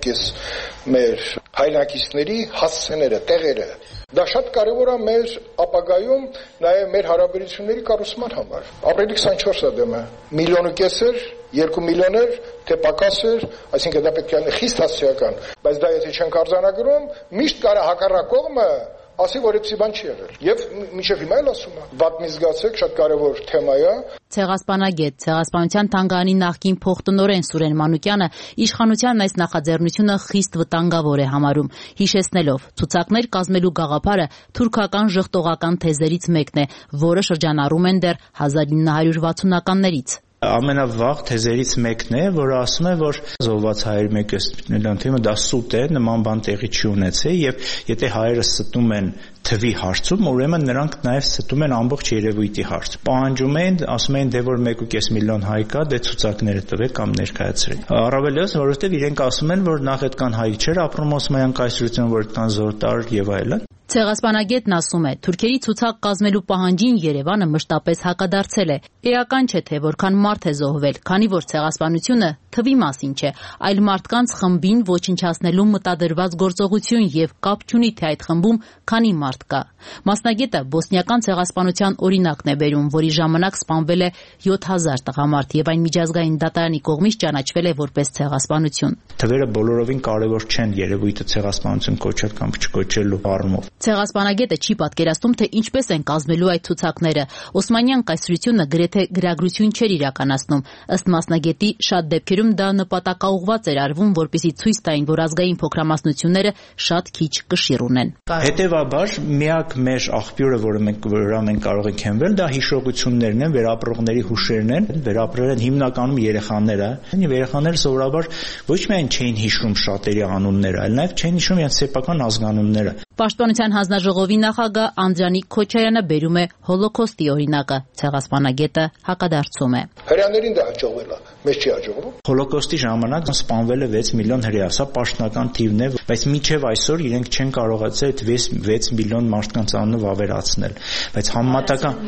մեր հայրենակիցների հասցեները, տեղերը։ Դա շատ կարևոր է մեր ապագայում, նաև մեր հարաբերությունների կառուցման համար։ Ապրիլի 24-ը դեմը 1.5 միլիոն էր, 2 միլիոն էր, թե պակաս էր, այսինքն դա պետք է խիստ հասցեական, բայց դա եթե չենք արձանագրում, միշտ կարա հակառակ կողմը ասի, որ այդպիսի բան չի եղել։ Եվ մինչև հիմա էլ ասում է, վատ մի զգացեք, շատ կարևոր թեմա է։ Ցեղասպանագետ, Ցեղասպանության թանգարանի նախկին փոխտնօրեն Սուրեն Մանուկյանը իշխանության այս նախաձեռնությունը խիստ վտանգավոր է համարում, հիշեցնելով, ցուցակներ կազմելու գաղափարը թուրքական ժխտողական թեզերից մեկն է, որը շրջանառում են դեռ 1960-ականներից։ Ամենավաղ թեզերից մեկն է, որը ասում է, որ զոհված հայերի 1.5 միլիոն թիմը դա սուտ է, նման բան տեղի չի ունեցել եւ եթե հայերը ստում են թվի հարցում, ուրեմն նրանք նաև ստում են ամբողջ երևույթի հարց։ Պահանջում են, ասում են, դե որ 1.5 միլիոն հայ կա, դե ցուցակները տվեք կամ ներկայացրեք։ Առավելևս, որովհետեւ իրենք ասում են, որ նախ այդքան հայ չէր ապրում Օսմանյան կայսրություն, որ այդքան զոր տար եւ այլն։ Ցեղասպանագետն ասում է, թուրքերի ցուցակ կազմելու պահանջին Երևանը մշտապես հակադարձել է։ Էական չէ, թե որքան մարդ է զոհվել, քանի որ ցեղասպանությունը թվի մասին չէ, այլ մարդկանց խմբին ոչնչացնելու մտադրված գործողություն եւ կապ չունի, թե այդ խմբում քանի մարդ կա։ Մասնագետը բոսնիական ցեղասպանության օրինակն է բերում, որի ժամանակ սպանվել է 7000 տղամարդ եւ այն միջազգային դատարանի կողմից ճանաչվել է որպես ցեղասպանություն։ Թվերը բոլորովին կարևոր չեն երևույթը ցեղասպանություն կոչել կամ չկոչելու առումով։ Ցեղասպանագետը չի պատկերացնում, թե ինչպես են կազմելու այդ ցուցակները։ Օսմանյան կայսրությունը գրեթե գրագրություն չէր իրականացնում։ Ըստ մասնագետի, շատ դեպքերում դա նպատակաուղված էր արվում, որպեսզի ցույց տային, որ ազգային փոքրամասնությունները շատ քիչ կշիռ ունեն։ Հետևաբար, միակ մեր աղբյուրը, որը մենք կարող ենք հենվել, դա հիշողություններն են, վերապրողների հուշերն են, վերապրել են հիմնականում երեխաները։ Երեխաները սովորաբար ոչ միայն չէին հիշում շատերի անունները, այլ նաև չէին հիշում իրենց սեփական ազգանունները։ Պաշտպանության հանձնաժողովի նախագահ Անդրանիկ Քոչարյանը բերում է հոլոքոստի օրինակը, ցեղասպանագետը հակադարձում է։ Հրեաներին դա հաջողվել է, մեզ չի հաջողվում։ Հոլոքոստի ժամանակ սպանվել է 6 միլիոն հրեա, սա պաշտոնական թիվն է, բայց մինչև այսօր իրենք չեն կարողացել այդ 6 միլիոն մարդկանց անունով ավերացնել։ Բայց համեմատական,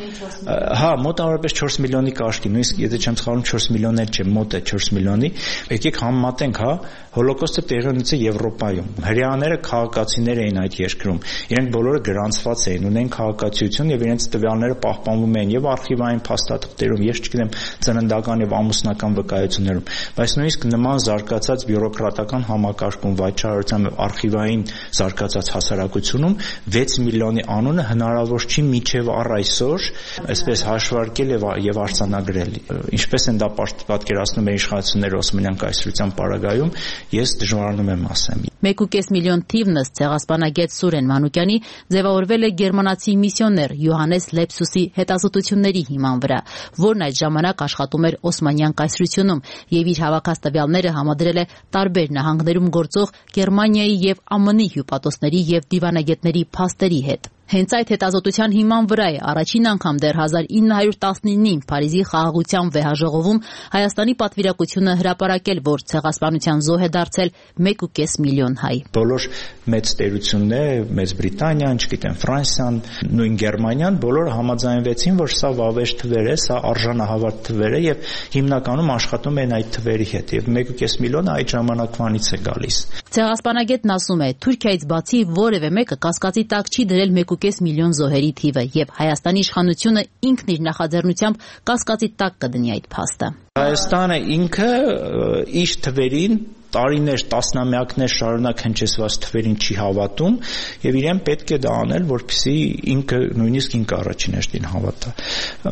մոտավորապես 4 միլիոնի կարգի, նույնիսկ եթե չեմ սխալվում 4 միլիոն էլ չէ, մոտ է 4 միլիոնի։ Եկեք համեմատենք, հոլոքոստը տեղի ունեցել Եվրոպայում։ Հրեաները քաղաքացիներ էին այդ երկրում, իրենք բոլորը գրանցված էին, ունեն քաղաքացիություն եւ իրենց տվյալները պահպանվում էին եւ արխիվային փաստաթղթերում, ես չգիտեմ, ծննդական եւ ամուսնական վկայություններում, բայց նույնիսկ նման զարգացած բյուրոկրատական համակարգում, վաճառության եւ արխիվային զարգացած հասարակությունում 6 միլիոնի անունը հնարավոր չի մինչեւ առ այսօր այսպես հաշվարկել եւ արձանագրել։ Ինչպես են դա պատկերացնում են իշխանությունները Օսմանյան կայսրության պարագայում, ես դժվարանում եմ ասեմ։ 1.5 միլիոն թիվն ըստ ցեղասպանագետ Սուրեն Մանուկյանի ձևավորվել է գերմանացի միսիոներ Յոհանես Լեպսուսի հետազոտությունների հիման վրա, որն այդ ժամանակ աշխատում էր Օսմանյան կայսրությունում եւ իր հավաքած տվյալները համադրել է տարբեր նահանգներում գործող Գերմանիայի եւ ԱՄՆ-ի հյուպատոսների եւ դիվանագետների փաստերի հետ։ Հենց այդ հետազոտության հիման վրա է առաջին անգամ դեռ 1919-ին Փարիզի խաղաղության վեհաժողովում Հայաստանի պատվիրակությունը հրապարակել, որ ցեղասպանության զոհ է դարձել 1.5 միլիոն հայ։ Բոլոր մեծ տերությունները, Մեծ Բրիտանիան, չգիտեմ, Ֆրանսիան, նույն Գերմանիան, բոլորը համաձայնվեցին, որ սա վավեր թվեր է, սա արժանահավատ թվեր է եւ հիմնականում աշխատում են այդ թվերի հետ եւ 1.5 միլիոնը այդ ժամանակվանից է գալիս։ Ցեղասպանագետն ասում է, Թուրքիայից բացի որևէ մեկը կասկածի տակ չի դրել 1.5 միլիոն զոհերի թիվը եւ Հայաստանի իշխանությունը ինքն իր նախաձեռնությամբ կասկածի տակ կդնի այդ փաստը։ Հայաստանը ինքը իր թվերին տարիներ, տասնամյակներ շարունակ հնչեցված թվերին չի հավատում եւ իրեն պետք է դա անել, որպեսզի ինքը նույնիսկ ինքը առաջին հերթին հավատա։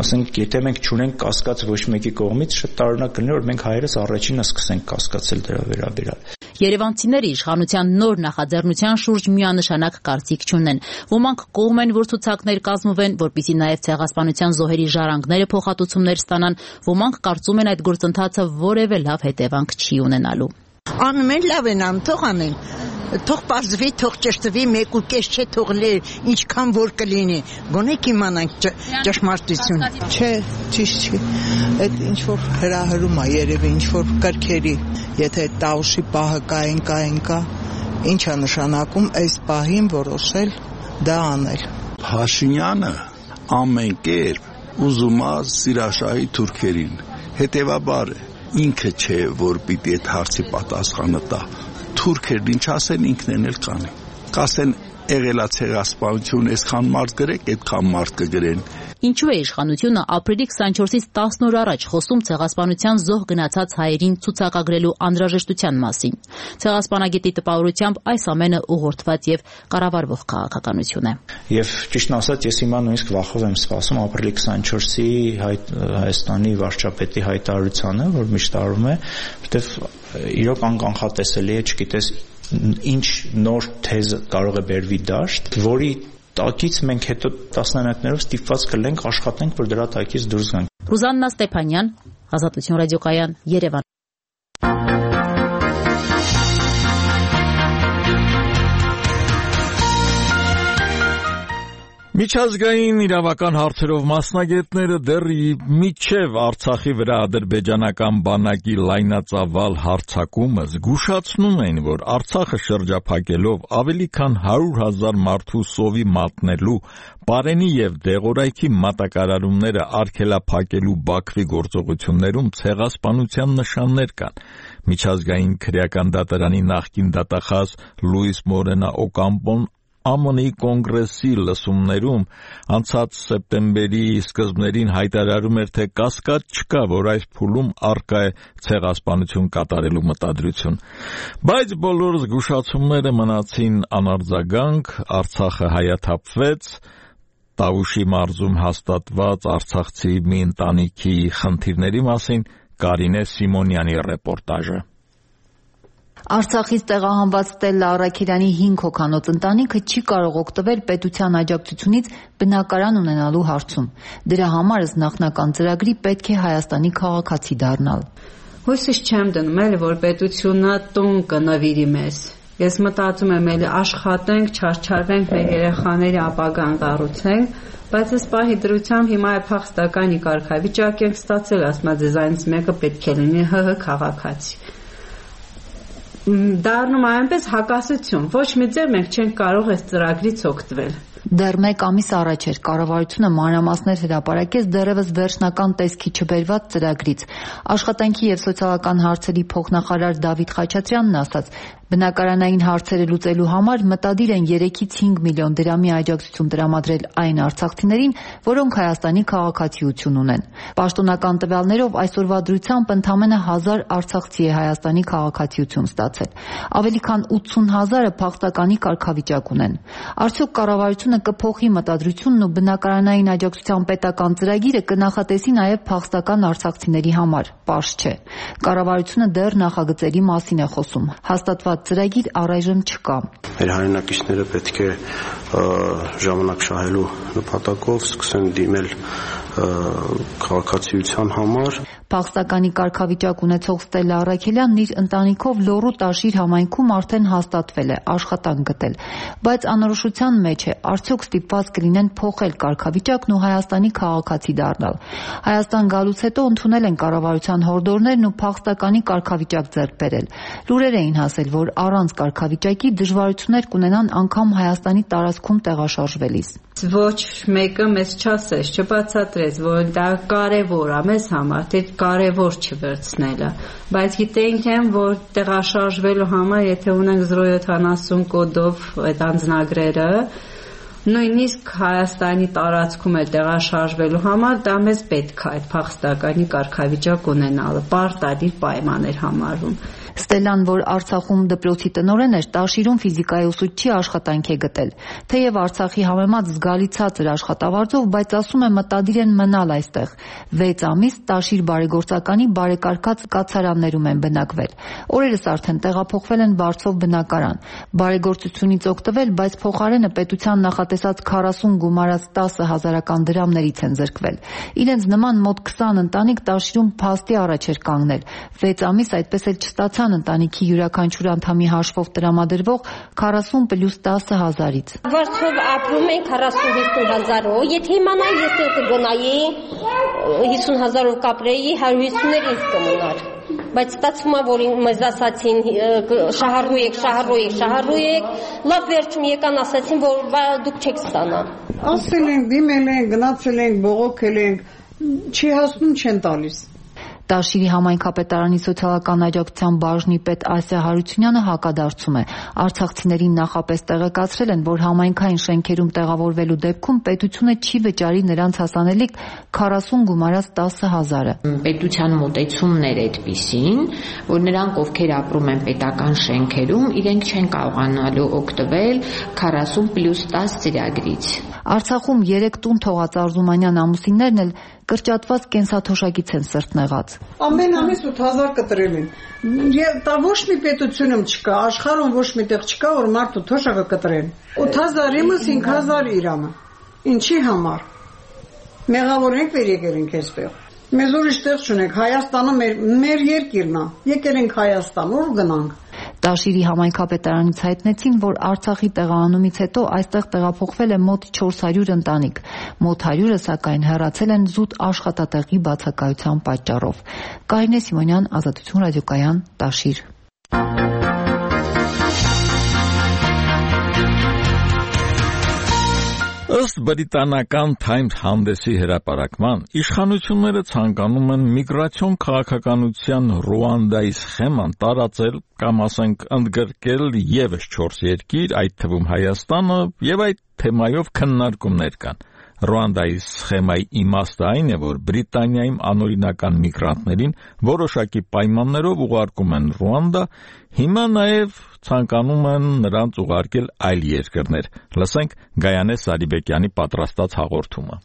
Ասենք, եթե մենք չունենք կասկած ոչ մեկի կողմից, շատ տարօրինակ կլինի, որ մենք հայերս առաջինը սկսենք կասկածել դրա վերաբերյալ։ Երևանցիները իշխանության նոր նախաձեռնության շուրջ միանշանակ կարծիք չունեն։ Ոմանք կողմ են, որ ցուցակներ կազմվեն, որպեսզի նաև ցեղասպանության զոհերի ժառանգները փոխհատուցումներ ստանան, ոմանք կարծում են այդ գործընթացը որևէ լավ հետևանք չի ունենալու։ Անում են լավ են անում, թող անեն, թող պարզվի, թող ճշտվի, 1.5 չէ, թող ինչքան որ կլինի, գոնե կիմանանք ճշմարտություն։ Չէ, ճիշտ չի, այդ ինչ-որ հրահրում է երևի, ինչ-որ կրքերի, եթե տավուշի պահը կա, ինչ է նշանակում այս պահին որոշել դա անել։ Փաշինյանը ամեն կերպ ուզում է սիրաշահի թուրքերին, հետևաբար ինքը չէ, որ պիտի այդ հարցի պատասխանը տա։ Թուրքերն ինչ ասեն, ինքն էլ կանի։ Կասեն եղելա ցեղասպանություն, այսքան մարդ գրեք, այդքան մարդ կգրեն։ Ինչու է իշխանությունը ապրիլի 24-ից 10 օր առաջ խոսում ցեղասպանության զոհ գնացած հայերին ցուցակագրելու անհրաժեշտության մասին։ Ցեղասպանագետի տպավորությամբ այս ամենը ուղղորդված եւ կառավարվող քաղաքականություն է։ Եվ ճիշտն ասած, ես հիմա նույնիսկ վախով եմ սպասում ապրիլի 24-ի Հայաստանի վարչապետի հայտարարությանը, որ միշտ արվում է, որտեղ իրոք անկանխատեսելի է, չգիտես ինչ նոր թեզ կարող է բերվի դաշտ, որի տակից մենք հետո տասնամյակներով ստիպված կլենք աշխատենք, որ դրա տակից դուրս գանք։ Ռուզաննա Ստեփանյան, Ազատություն ռադիոկայան, Երևան։ Միջազգային իրավական հարցերով մասնագետները դեռ մինչև Արցախի վրա ադրբեջանական բանակի լայնածավալ հարձակումը զգուշացնում են, որ Արցախը շրջափակելով ավելի քան 100,000 մարդու սովի մատնելու, Պարենի եւ Դեղորայքի մատակարարումները արգելափակելու Բաքվի գործողություններում ցեղասպանության նշաններ կան։ Միջազգային քրեական դատարանի նախկին դատախազ Լուիս Մորենա Օկամպոն ԱՄՆ-ի կոնգրեսի լսումներում անցած սեպտեմբերի սկզբներին հայտարարում էր, թե կասկած չկա, որ այս փուլում առկա է ցեղասպանություն կատարելու մտադրություն։ Բայց բոլոր զգուշացումները մնացին անարձագանք, Արցախը հայաթափվեց, Տավուշի մարզում հաստատված արցախցի մի ընտանիքի խնդիրների մասին Կարինե Սիմոնյանի ռեպորտաժը։ Արցախից տեղահանված Ստելլա Առաքելյանի 5 հոգանոց ընտանիքը չի կարող օգտվել պետության աջակցությունից բնակարան ունենալու հարցում։ Դրա համար ըստ նախնական ծրագրի պետք է Հայաստանի քաղաքացի դառնալ։ Հույսս չեմ դնում, էլի որ պետությունը տուն կնվիրի մեզ։ Ես մտածում եմ, էլի աշխատենք, չարչարվենք, մեր երեխաների ապագան կառուցենք, բայց այս պահի դրությամբ հիմա է փախստականի կարգավիճակ ենք ստացել, ասում եմ, ձեզանից մեկը պետք է լինի ՀՀ քաղաքացի։ դառնում այնպես հակասություն։ Ոչ մի ձև մենք չենք կարող այս ծրագրից օգտվել։ Դեռ 1 ամիս առաջ էր կառավարությունը մանրամասներ հրապարակեց դեռևս վերջնական տեսքի չբերված ծրագրից։ Աշխատանքի եւ սոցիալական հարցերի փոխնախարար Դավիթ Խաչատրյանն ասաց, բնակարանային հարցերը լուծելու համար մտադիր են 3-ից 5 միլիոն դրամի աջակցություն տրամադրել այն արցախցիներին, որոնք Հայաստանի քաղաքացիություն ունեն։ Պաշտոնական տվյալներով այսօրվա դրությամբ ընդամենը 1000 արցախցի է Հայաստանի քաղաքացիություն ստացել։ Ավելի քան 80,000-ը փախստականի կարգավիճակ ունեն։ Արդյոք կառավարությունը կփոխի մտադրությունն ու բնակարանային աջակցության պետական ծրագիրը կնախատեսի նաև փախստական արցախցիների համար։ Պարզ չէ։ Կառավարությունը դեռ նախագծերի մասին է խոսում։ Հաստատված ծրագիր առայժմ չկա։ Մեր հայրենակիցները պետք է ժամանակ շահելու նպատակով սկսեն դիմել քաղաքացիության համար։ Փախստականի կարգավիճակ ունեցող Ստելլա Առաքելյանն իր ընտանիքով Լոռու Տաշիր համայնքում արդեն հաստատվել է, աշխատանք գտել, բայց անորոշության մեջ է, արդյոք ստիպված կլինեն փոխել կարգավիճակն ու Հայաստանի քաղաքացի դառնալ։ Հայաստան գալուց հետո ընդունել են կառավարության հորդորներն ու փախստականի կարգավիճակ ձեռք բերել։ Լուրեր էին հասել, որ առանց կարգավիճակի դժվարություններ կունենան անգամ Հայաստանի տարածքում տեղաշարժվելիս։ Ոչ մեկը մեզ չասեց, չբացատրեց, որ դա կարևոր է մեզ համար, թե կարևոր չվերցնելը, բայց գիտենք եմ, որ տեղաշարժվելու համար, եթե ունենք 070 կոդով այդ անձնագրերը, նույնիսկ Հայաստանի տարածքում է տեղաշարժվելու համար, դա մեզ պետք է այդ փախստականի կարգավիճակ ունենալը, պարտադիր պայման էր համարվում։ Ստելլան, որ Արցախում դպրոցի տնօրեն էր, Տաշիրում ֆիզիկայի ուսուցչի աշխատանք է գտել։ Թեև Արցախի համեմատ զգալի ցածր աշխատավարձով, բայց ասում է մտադիր են մնալ այստեղ։ 6 ամիս Տաշիր բարեգործականի բարեկարգած կացարաններում են բնակվել։ Օրերս արդեն տեղափոխվել են Վարչով բնակարան։ Բարեգործությունից օգտվել, բայց փոխարենը պետության նախատեսած 40 գումարած 10,000 դրամներից են զրկվել։ Իրենց նման մոտ 20 ընտանիք Տաշիրում փաստի առաջ էր կանգնել։ 6 ամիս այդպես էլ չստացան ընտանիքի յուրաքանչյուր անդամի հաշվով տրամադրվող 40 + 10,000-ից։ Վարձով ապրում ենք 40-50,000-ով, եթե իմանայի ես կգնայի 50,000-ով կապրեի, 150-ներ ինձ կմնար։ Բայց ստացվում է, որ մեզ ասացին շահառու եք, լավ վերջում եկան ասացին, որ դուք չեք ստանա։ Ասել ենք, դիմել ենք, գնացել ենք, բողոքել ենք, չի հասնում, չեն տալիս։ Տաշիրի համայնքապետարանի սոցիալական աջակցության բաժնի պետ Ասիա Հարությունյանը հակադարձում է։ Արցախցիներին նախապես տեղեկացրել են, որ համայնքային շենքերում տեղավորվելու դեպքում պետությունը չի վճարի նրանց հասանելիք 40 գումարած 10,000-ը։ Պետության մոտեցումն էր այդպիսին, որ նրանք, ովքեր ապրում են պետական շենքերում, իրենք չեն կարողանալու օգտվել 40 + 10 ծրագրից։ Արցախում 3 տուն թողած Արզումանյան ամուսիններն էլ կրճատված կենսաթոշակից են սրտնեղած։ Ամեն ամիս 8,000 կտրել են։ Եվ դա ոչ մի պետությունում չկա, աշխարհում ոչ միտեղ չկա, որ մարդու թոշակը կտրեն։ 8,000 իմս 5,000 իրամը։ Ինչի համար։ Մեղավոր ենք վեր եկել ենք այստեղ։ Մեզ ուրիշ տեղ չունենք, Հայաստանը մեր երկիրն է։ Եկել ենք Հայաստան, ուր գնանք։ Տաշիրի համայնքապետարանից հայտնեցին, որ Արցախի տեղահանումից հետո այստեղ տեղափոխվել է մոտ 400 ընտանիք։ Մոտ 100-ը սակայն հեռացել են զուտ աշխատատեղի բացակայության պատճառով։ Կարինե Սիմոնյան, Ազատություն ռադիոկայան, Տաշիր։ Ըստ բրիտանական Times հանդեսի հրապարակման, իշխանությունները ցանկանում են միգրացիոն քաղաքականության Ռուանդայի սխեման տարածել կամ ասենք ընդգրկել եւս 4 երկիր, այդ թվում Հայաստանը, եւ այդ թեմայով քննարկումներ կան։ Ռուանդայի սխեմայի իմաստը այն է, որ Բրիտանիայում անօրինական միգրանտներին որոշակի պայմաններով ուղարկում են Ռուանդա, հիմա նաև ցանկանում են նրանց ուղարկել այլ երկրներ։ Լսենք Գայանե Սարիբեկյանի պատրաստած հաղորդումը։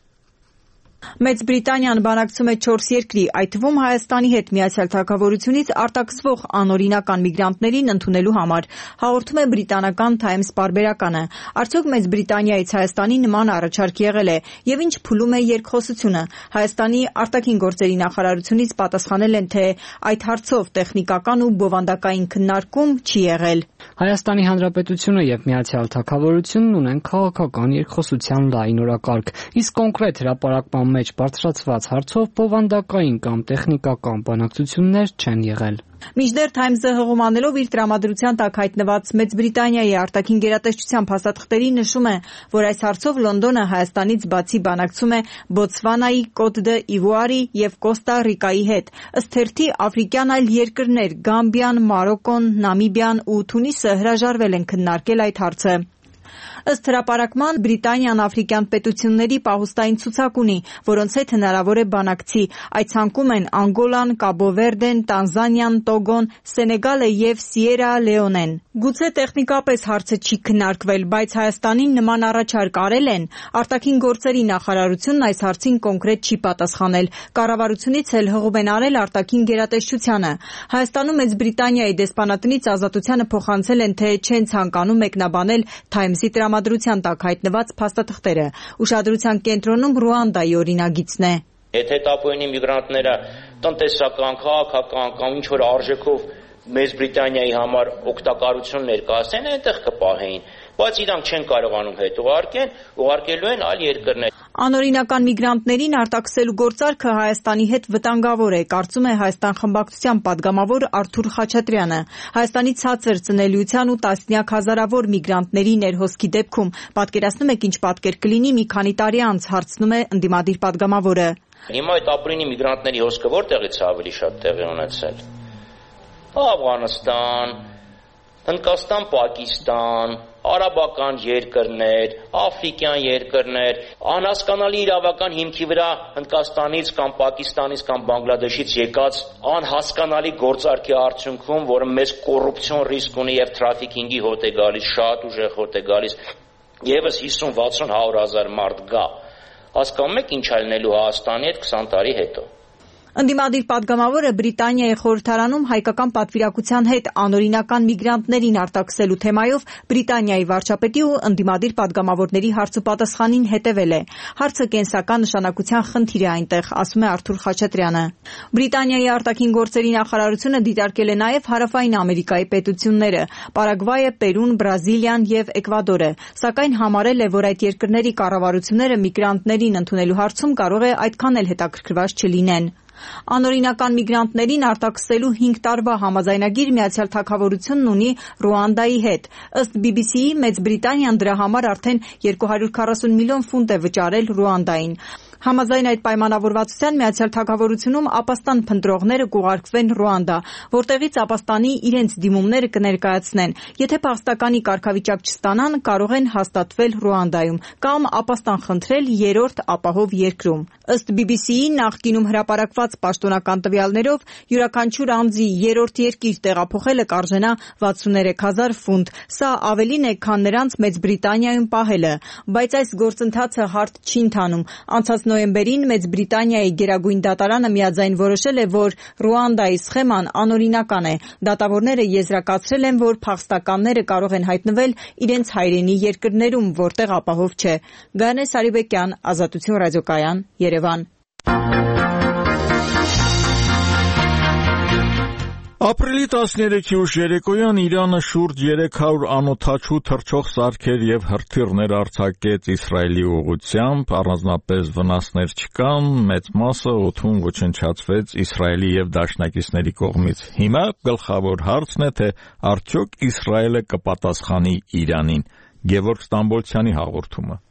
Մեծ Բրիտանիան բանակցում է 4 երկրի, այդ թվում Հայաստանի հետ Միացյալ Թագավորությունից արտաքսվող անօրինական միգրանտներին ընդունելու համար, հաղորդում է բրիտանական Times պարբերականը։ Արդյոք Մեծ Բրիտանիայից Հայաստանի նման առաջարկ եղել է, եւ ինչ փուլում է երկխոսությունը։ Հայաստանի արտաքին գործերի նախարարությունից պատասխանել են, թե այդ հարցով տեխնիկական ու բովանդակային քննարկում չի եղել։ Հայաստանի Հանրապետությունը եւ Միացյալ Թագավորությունն ունեն քաղաքական երկխոսության լայն օրակարգ, իսկ կոնկրետ հրապարակման մեջ բարձրացված հարցով բովանդակային կամ տեխնիկական բանակցություններ չեն եղել։ Մինչդեռ Times-ը հղումանելով իր տրամադրության տակ հայտնված Մեծ Բրիտանիայի արտաքին գերատեսչության փաստաթղթերի նշում է, որ այս հարցով Լոնդոնը Հայաստանից բացի բանակցում է Բոտսվանայի, Կոտ d'Իվուարի եւ Կոստա Ռիկայի հետ։ Ըստ թերթի աֆրիկյան այլ երկրներ Գամբիան, Մարոկոն, Նամիբիան ու Թունիսը հրաժարվել են քննարկել այդ հարցը։ Ըստ հրապարակման Բրիտանիան աֆրիկյան պետությունների պահուստային ցուցակ ունի, որոնց հետ հնարավոր է բանակցի։ Այդ ցանկում են Անգոլան, Կաբո Վերդեն, Տանզանիան, Տոգոն, Սենեգալը եւ Սիերա Լեոնեն։ Գուցե տեխնիկապես հարցը չի քննարկվել, բայց Հայաստանին նման առաջարկ արել են։ Արտաքին գործերի նախարարությունն այս հարցին կոնկրետ չի պատասխանել։ Կառավարությունից էլ հղում են արել արտաքին գերատեսչությանը։ Հայաստանում Մեծ Բրիտանիայի դեսպանատնից ազատությանը փոխանցել են, թե չեն ցանկանում մեկնաբանել Times-ի տրամադրության տակ հայտնված փաստաթղթերը։ Ուշադրության կենտրոնում Ռուանդայի օրինագիծն է։ Եթե տապույնի միգրանտները տնտեսական, քաղաքական կամ ինչ որ արժեքով Մեծ Բրիտանիայի համար օգտակարություն ներկայացնեն, այնտեղ կպահեին, բայց իրանք չեն կարողանում հետ ուղարկեն, ուղարկելու են այլ երկրներ։ Անօրինական միգրանտներին արտաքսելու գործարքը Հայաստանի հետ վտանգավոր է, կարծում է Հայաստան խմբակցության падգամավոր Արթուր Խաչատրյանը։ Հայաստանի ցածր ծնելիության ու տասնյակ հազարավոր միգրանտների ներհոսքի դեպքում պատկերացնում եք ինչ պատկեր կլինի մի քանի տարի անց, հարցնում է ընդդիմադիր падգամավորը։ Հիմա այդ ապրինի միգրանտների հոսքը որտեղից է ավելի շատ տեղի ունեցել։ Աֆղանստան, Հնդկաստան, Պակիստան, արաբական երկրներ, աֆրիկյան երկրներ, անհասկանալի իրավական հիմքի վրա Հնդկաստանից կամ Պակիստանից կամ Բանգլադեշից եկած անհասկանալի գործարքի արդյունքում, որը մեծ կոռուպցիոն ռիսկ ունի եւ թրաֆիքինգի հոտ է գալիս, շատ ուժեղ հոտ է գալիս, եւս 50-60-100 հազար մարդ գա։ Հասկանում եք ինչ է լինելու Հայաստանի հետ 20 տարի հետո։ Ընդդիմադիր падգամավորը Բրիտանիայի խորհրդարանում հայկական պատվիրակության հետ անօրինական միգրանտներին արտաքսելու թեմայով Բրիտանիայի վարչապետի ու ընդդիմադիր падգամավորների հարցուպատասխանին հետևել է։ Հարցը կենսական նշանակության խնդիր է այնտեղ, ասում է Արթուր Խաչատրյանը։ Բրիտանիայի արտաքին գործերի նախարարությունը դիտարկել է նաև Հարավային Ամերիկայի պետությունները՝ Պարագվայը, Պերուն, Բրազիլիան եւ Էկվադորը, սակայն համարել է, որ այդ երկրների կառավարությունները միգրանտներին ընդունելու հարցում կարող է այդքան էլ հետաքրքրված չլինեն։ Անօրինական միգրանտներին արտաքսելու 5 տարվա համաձայնագիր Միացյալ Թագավորությունն ունի Ռուանդայի հետ։ Ըստ BBC-ի Մեծ Բրիտանիան դրա համար արդեն 240 միլիոն ֆունտ է վճարել Ռուանդային։ Համաձայն այդ պայմանավորվածության Միացյալ Թագավորությունում ապաստան փնտրողները կուղարկվեն Ռուանդա, որտեղից ապաստանի իրենց դիմումները կներկայացնեն։ Եթե փախստականի կարգավիճակ չստանան, կարող են հաստատվել Ռուանդայում կամ ապաստան խնդրել երրորդ ապահով երկրում։ Ըստ BBC-ի նախկինում հրապարակված պաշտոնական տվյալներով յուրաքանչյուր անձի երրորդ երկիր տեղափոխելը կարժենա 63,000 ֆունտ։ Սա ավելին է, քան նրանց Մեծ Բրիտանիայում պահելը, բայց այս գործընթացը հարթ չի ընթանում։ Անցած նոյեմբերին Մեծ Բրիտանիայի գերագույն դատարանը միաձայն որոշել է, որ Ռուանդայի սխեման անօրինական է։ Դատավորները եզրակացրել են, որ փախստականները կարող են հայտնվել իրենց հայրենի երկրներում, որտեղ ապահով չէ։ Գայանե Սարիբեկյան, Ազատություն ռադիոկայան, Երևան։ Ապրիլի 13-ի ուշ երեկոյան Իրանը շուրջ 300 անօդաչու թռչող սարքեր եւ հրթիռներ արձակեց Իսրայելի ուղղությամբ, առանձնապես վնասներ չկան, մեծ մասը օդում ոչնչացվեց Իսրայելի եւ դաշնակիցների կողմից։ Հիմա գլխավոր հարցն է, թե արդյոք Իսրայելը կպատասխանի Իրանին։ Գևորգ Ստամբոլցյանի հաղորդումը։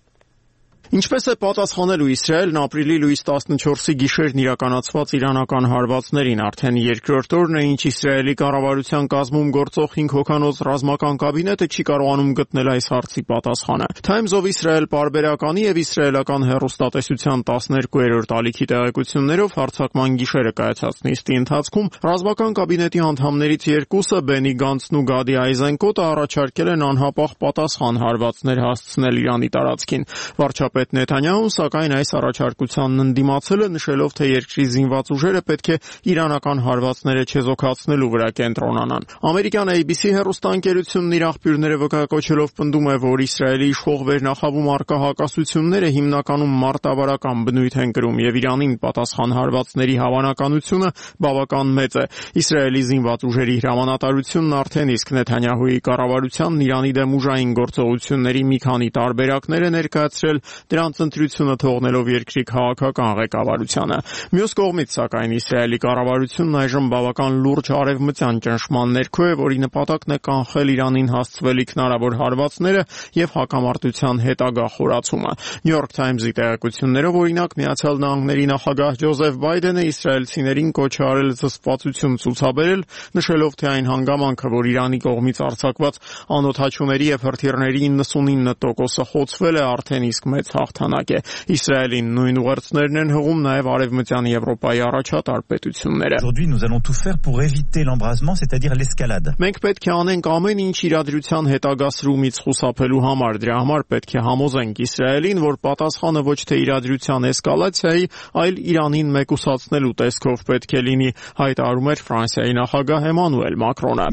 Ինչպես է պատասխանելու Իսրայելն ապրիլի լույս 14-ի գիշերն իրականացված իրանական հարվածներին, արդեն երկրորդ օրն է, ինչ Իսրայելի կառավարության կազմում գործող 5 հոգանոց ռազմական կաբինետը չի կարողանում գտնել այս հարցի պատասխանը։ Times of Israel պարբերականի եւ իսրայելական հեռուստատեսության 12-րդ ալիքի տեղեկություններով հարձակման գիշերը կայացած նիստի ընթացքում ռազմական կաբինետի անդամներից երկուսը Բենի Գանցն ու Գադի Այզենկոտը առաջարկել են անհապաղ պատասխան հարվածներ հասցնել Իրանի տարածքին։ Վարչապետ Նեթանյահուն սակայն այս առաջարկությանն ընդդիմացել է, նշելով, թե երկրի զինված ուժերը պետք է իրանական հարվածները չեզոքացնելու վրա կենտրոնանան։ Ամերիկյան ABC հեռուստաընկերությունն իր աղբյուրները վկայակոչելով պնդում է, որ Իսրայելի իշխող վերնախավում առկա հակասությունները հիմնականում մարտավարական բնույթ են կրում եւ Իրանին պատասխան հարվածների հավանականությունը բավական մեծ է։ Իսրայելի զինված ուժերի հրամանատարությունն արդեն իսկ Նեթանյահուի կառավարությանն Իրանի դեմ ուժային գործողությունների մի քանի տարբերակներ է ներկայացրել, դրանց ընտրությունը թողնելով երկրի քաղաքական ղեկավարությանը։ Մյուս կողմից, սակայն, Իսրայելի կառավարությունն այժմ բավական լուրջ արևմտյան ճնշման ներքո է, որի նպատակն է կանխել Իրանին հասցվելիք հնարավոր հարվածները եւ հակամարտության հետագա խորացումը։ New York Times-ի տեղեկություններով, օրինակ, Միացյալ Նահանգների նախագահ Ջոզեֆ Բայդենը իսրայելցիներին կոչ է արել զսպվածություն ցուցաբերել, նշելով, թե այն հանգամանքը, որ Իրանի կողմից արձակված անօդաչուների եւ հրթիռների 99%-ը խոցվել է, արդեն իսկ մեծ հաղթանակ է։ Իսրայելին նույն ուղերձներն են հղում նաեւ արևմտյան Եվրոպայի առաջատար պետությունները։ Aujourd'hui, nous allons tout faire pour éviter l'embrasement, c'est-à-dire l'escalade. Մենք պետք է անենք ամեն ինչ իրադրության հետագա սրումից խուսափելու համար։ Դրա համար պետք է համոզենք Իսրայելին, որ պատասխանը ոչ թե իրադրության էսկալացիայի, այլ Իրանին մեկուսացնելու տեսքով պետք է լինի, հայտարարում էր Ֆրանսիայի նախագահ Էմանուել Մակրոնը։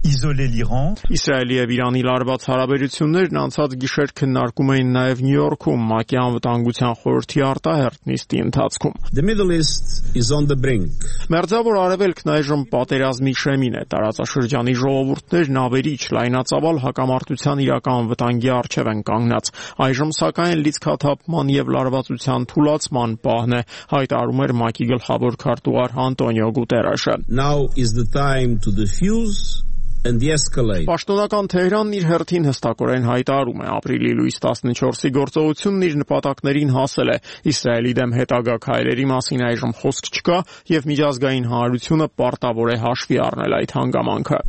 Isoler l'Iran. Իսրայելի եւ Իրանի լարված հարաբերություններն անցած գիշեր քննարկում էին նաեւ Նյու Յորքում ՄԱԿ-ի անվտանգության խորհրդի արտահերթ նիստի ընթացքում։ The Middle East is on the brink. Մերձավոր Արևելքն այժմ պատերազմի շեմին է։ Տարածաշրջանի ժողովուրդներն ավերիչ լայնածավալ հակամարտության իրական վտանգի առջև են կանգնած։ Այժմ սակայն լիցքաթափման եւ լարվածության թուլացման պահն է, հայտարարում էր ՄԱԿ-ի գլխավոր քարտուղար Անտոնիո Գուտերեշը։ Now is the time to defuse and de-escalate. Պաշտոնական Թեհրանն իր հերթին հստակորեն հայտարարում է, ապրիլի լույս 14-ի գործողությունն իր նպատակներին հասել է։ Իսրայելի դեմ հետագա քայլերի մասին այժմ խոսք չկա եւ միջազգային հանրությունը պարտավոր է հաշվի առնել այդ հանգամանքը։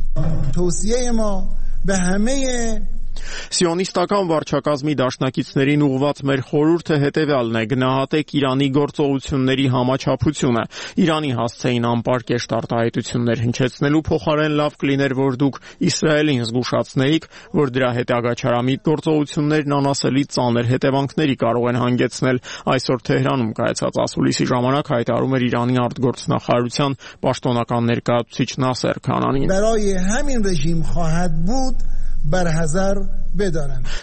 Սիոնիստական վարչակազմի դաշնակիցներին ուղղված մեր խորհուրդը հետևյալն է՝ գնահատեք Իրանի գործողությունների համաչափությունը։ Իրանի հասցեին անպարկեշտ արտահայտություններ հնչեցնելու փոխարեն լավ կլիներ, որ դուք Իսրայելին զգուշացնեիք, որ դրա հետագա չարամիտ գործողություններն անասելի ծանր հետևանքների կարող են հանգեցնել։ Այսօր Թեհրանում կայացած ասուլիսի ժամանակ հայտարարում էր Իրանի արտգործնախարարության պաշտոնական ներկայացուցիչ Նասեր Քանանին։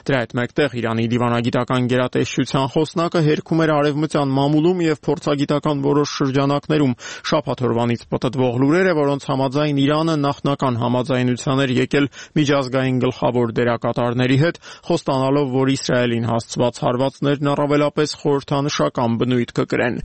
Դրա հետ մեկտեղ Իրանի դիվանագիտական գերատեսչության խոսնակը հերքում էր արևմտյան մամուլում եւ փորձագիտական որոշ շրջանակներում շաբաթօրվանից պտտվող լուրերը, որոնց համաձայն Իրանը նախնական համաձայնության էր եկել միջազգային գլխավոր դերակատարների հետ, խոստանալով, որ Իսրայելին հասցված հարվածներն առավելապես խորհրդանշական բնույթ կկրեն։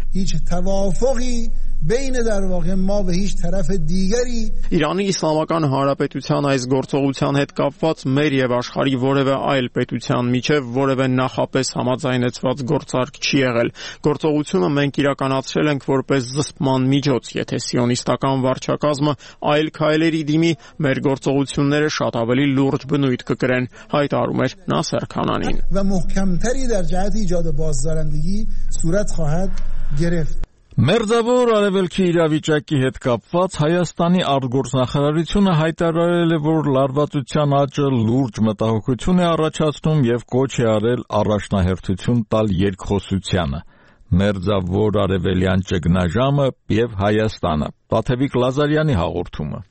Իրանի Իսլամական Հանրապետության այս գործողության հետ կապված մեր եւ աշխարհի որևէ այլ պետության միջև որևէ նախապես համաձայնեցված գործարք չի եղել։ Գործողությունը մենք իրականացրել ենք որպես զսպման միջոց, եթե սիոնիստական վարչակազմը այլ քայլերի դիմի, մեր գործողությունները շատ ավելի լուրջ բնույթ կկրեն, հայտարարում էր Նասեր Քանանին։ Մերձավոր Արևելքի իրավիճակի հետ կապված Հայաստանի արտգործնախարարությունը հայտարարել է, որ լարվածության աճը լուրջ մտահոգություն է առաջացնում եւ կոչ է արել առաջնահերթություն տալ երկխոսությանը։ Մերձավոր Արևելյան ճգնաժամը եւ Հայաստանը։ Տաթևիկ Լազարյանի հաղորդումը։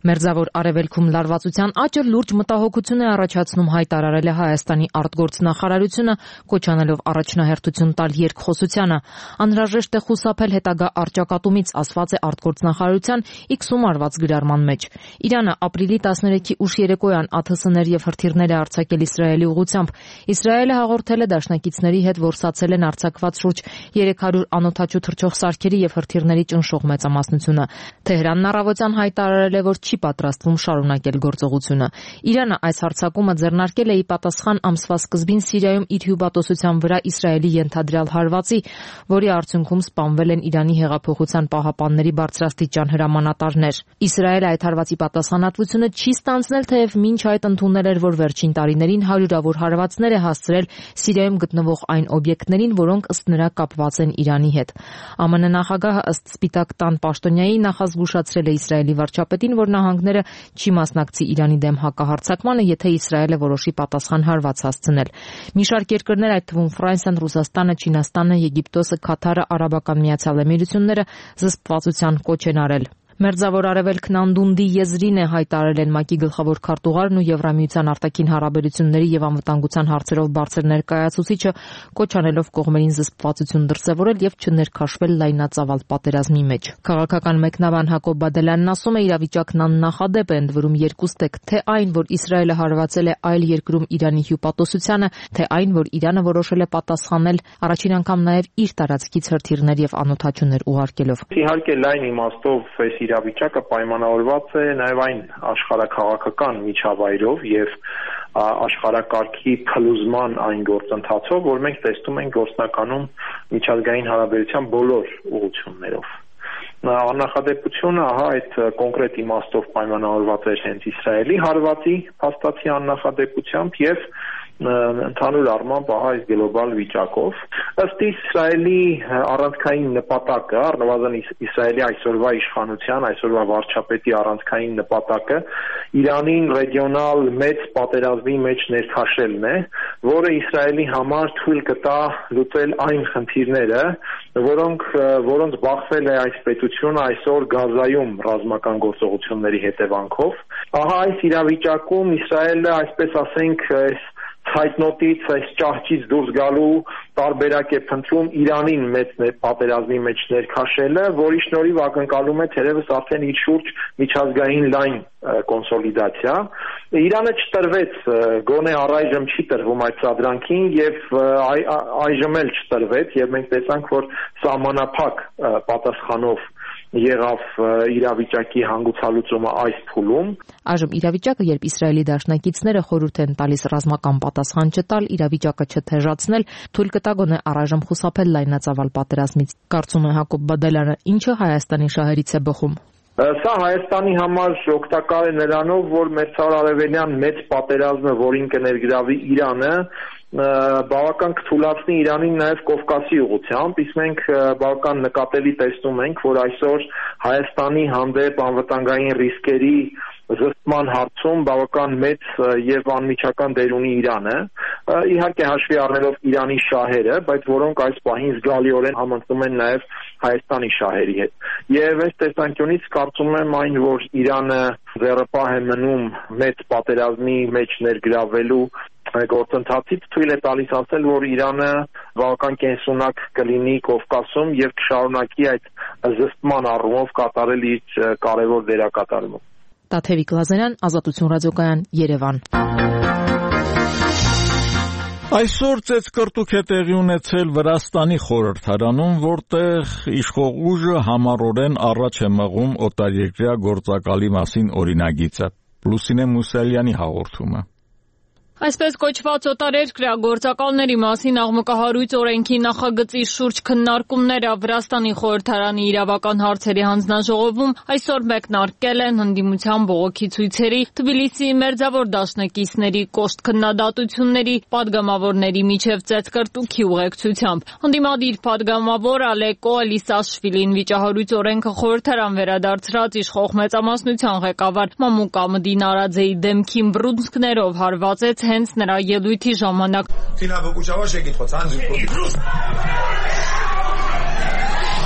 Մերձավոր Արևելքում լարվածության աճը լուրջ մտահոգություն է առաջացնում, հայտարարել է Հայաստանի արտգործնախարարությունը, կոչանելով առաջնահերթություն տալ երկխոսությանը։ Անհրաժեշտ է խուսափել հետագա առճակատումից, ասված է արտգործնախարարության X-ում արված գրառման մեջ։ Իրանը ապրիլի 13-ի ուշ երեկոյան ԱԹՍ-ներ եւ հրթիռներ է արձակել Իսրայելի ուղղությամբ։ Իսրայելը հաղորդել է դաշնակիցների հետ, որ ստացել են արձակված շուրջ 300 անօդաչու թռչող սարքերի եւ հրթիռների ճնշող մեծամասնությունը։ Թեհրանն առավոտյան հայտարարել է, որ չի պատրաստվում շարունակել գործողությունը։ Իրանը այս հարձակումը ձեռնարկել է ի պատասխան ամսվա սկզբին Սիրիայում իր հյուպատոսության վրա Իսրայելի ենթադրյալ հարվածի, որի արդյունքում սպանվել են Իրանի հեղափոխության պահապանների բարձրաստիճան հրամանատարներ։ Իսրայելը այդ հարվածի պատասխանատվությունը չի ստանձնել, թեև մինչ այդ ընդունել էր, որ վերջին տարիներին հարյուրավոր հարվածներ է հասցրել Սիրիայում գտնվող այն օբյեկտներին, որոնք ըստ նրա կապված են Իրանի հետ։ ԱՄՆ նախագահը ըստ Սպիտակ տան պաշտոնյայի նախազգուշացրել է Իսրայելի վարչապետին, որ նահանգները չի մասնակցի Իրանի դեմ հակահարձակմանը, եթե Իսրայելը որոշի պատասխան հարված հասցնել։ Մի շարք երկրներ, այդ թվում Ֆրանսիան, Ռուսաստանը, Չինաստանը, Եգիպտոսը, Քաթարը, Արաբական Միացյալ Էմիրությունները զսպվածության կոչ են արել։ Մերձավոր Արևելքն անդունդի եզրին է, հայտարարել են ՄԱԿ-ի գլխավոր քարտուղարն ու Եվրամիության արտաքին հարաբերությունների եւ անվտանգության հարցերով բարձր ներկայացուցիչը, կոչ անելով կողմերին զսպվածություն դրսեւորել եւ չներքաշվել լայնածավալ պատերազմի մեջ։ Քաղաքական մեկնաբան Հակոբ Բադելյանն ասում է, իրավիճակն աննախադեպ է, ընդ որում երկուստեք, թե այն, որ Իսրայելը հարվածել է այլ երկրում Իրանի հյուպատոսությանը, թե այն, որ Իրանը որոշել է պատասխանել առաջին անգամ նաեւ իր տարածքից հրթիռներ եւ անօդաչուներ ուղարկելով։ Իհարկե լայն իմաստով իրավիճակը պայմանավորված է նաև այն աշխարհաքաղաքական միջավայրով եւ աշխարհակարգի փլուզման այն գործընթացով, որ մենք տեսնում ենք գործնականում միջազգային հարաբերության բոլոր ուղղություններով։ Աննախադեպությունը այդ կոնկրետ իմաստով պայմանավորված էր հենց Իսրայելի հարվածի փաստացի աննախադեպությամբ եւ ընդհանուր առմամբ այս գլոբալ վիճակով ըստ Իսրայելի առանցքային նպատակը, առնվազն Իսրայելի այսօրվա իշխանության, այսօրվա վարչապետի առանցքային նպատակը Իրանին ռեգիոնալ մեծ պատերազմի մեջ ներքաշելն է, որը Իսրայելի համար թույլ կտա լուծել այն խնդիրները, որոնց բախվել է այս պետությունը այսօր Գազայում ռազմական գործողությունների հետևանքով։ Ահա այս իրավիճակում Իսրայելը, այսպես ասենք, ցայտնոտից, այս ճահճից դուրս գալու տարբերակ է փնտրում Իրանին մեծ պատերազմի մեջ ներքաշելը, որի շնորհիվ ակնկալում է թերևս արդեն իր շուրջ միջազգային լայն կոնսոլիդացիա։ Իրանը չտրվեց, գոնե առայժմ չի տրվում այդ սադրանքին եւ այժմ էլ չտրվեց եւ մենք տեսանք, որ սահմանափակ պատասխանով եղավ իրավիճակի հանգուցալուծումը այս փուլում։ Այժմ իրավիճակը, երբ Իսրայելի դաշնակիցները խորհուրդ են տալիս ռազմական պատասխան չտալ, իրավիճակը չթեժացնել, թույլ կտա գոնե առայժմ խուսափել լայնածավալ պատերազմից։ Կարծում է Հակոբ Բադելյանը, ինչը Հայաստանի շահերից է բխում։ Սա Հայաստանի համար օգտակար է նրանով, որ մերձարևելյան մեծ պատերազմը, որին կներգրավի Իրանը, բավական կթուլացնի Իրանին նաև Կովկասի ուղղությամբ, իսկ մենք բավական նկատելի տեսնում ենք, որ այսօր Հայաստանի հանդեպ անվտանգային ռիսկերի զսպման հարցում բավական մեծ եւ անմիջական դեր ունի Իրանը, իհարկե հաշվի առնելով Իրանի շահերը, բայց որոնք այս պահին զգալիորեն համընկնում են նաեւ Հայաստանի շահերի հետ։ Եվ այս տեսանկյունից կարծում եմ այն, որ Իրանը ձեռնպահ է մնում մեծ պատերազմի մեջ ներգրավելու գործընթացից, թույլ է տալիս ասել, որ Իրանը բավական կենսունակ կլինի Կովկասում եւ կշարունակի այդ զսպման առումով կատարել իր կարևոր դերակատարումը։ Տաթևիկ Լազարյան, Ազատություն ռադիոկայան, Երևան։ Այսօր ծեծկռտուք է տեղի ունեցել Վրաստանի խորհրդարանում, որտեղ իշխող ուժը համառորեն առաջ է մղում օտարերկրյա գործակալի մասին օրինագիծը։ Լուսինե Մուսալյանի հաղորդումը։ Այսպես կոչված օտարերկրյա գործակալների մասին աղմկահարույց օրենքի նախագծի շուրջ քննարկումները Վրաստանի խորհրդարանի իրավական հարցերի հանձնաժողովում այսօր մեկնարկել են ընդդիմության բողոքի ցույցերի, Թբիլիսիի մերձավոր դաշնակիցների կոշտ քննադատությունների, падգամավորների միջև ծեծկռտուքի ուղեկցությամբ։ Ընդդիմադիր падգամավոր Ալեկո Ալիսաշվիլին վիճահարույց օրենքը խորհրդարան վերադարձրած իշխող մեծամասնության ղեկավար Մամուկա Մդինարաձեի դեմքին բռունցքներով հարվածեց հենց նրա ելույթի ժամանակ։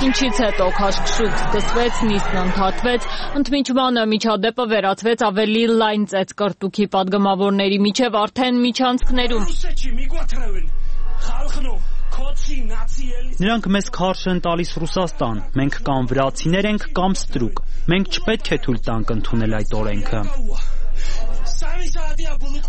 Ինչից հետո քաշքշուկ սկսվեց, նիստն ընդհատվեց, ընդմիջմանը միջադեպը վերածվեց ավելի լայն ծեծկռտուքի, падգամավորների միջև արդեն միջանցքներում։ Նրանք մեզ քարշ են տալիս Ռուսաստան, մենք կամ վրացիներ ենք, կամ ստրուկ։ Մենք չպետք է թույլ տանք ընդունել այդ օրենքը։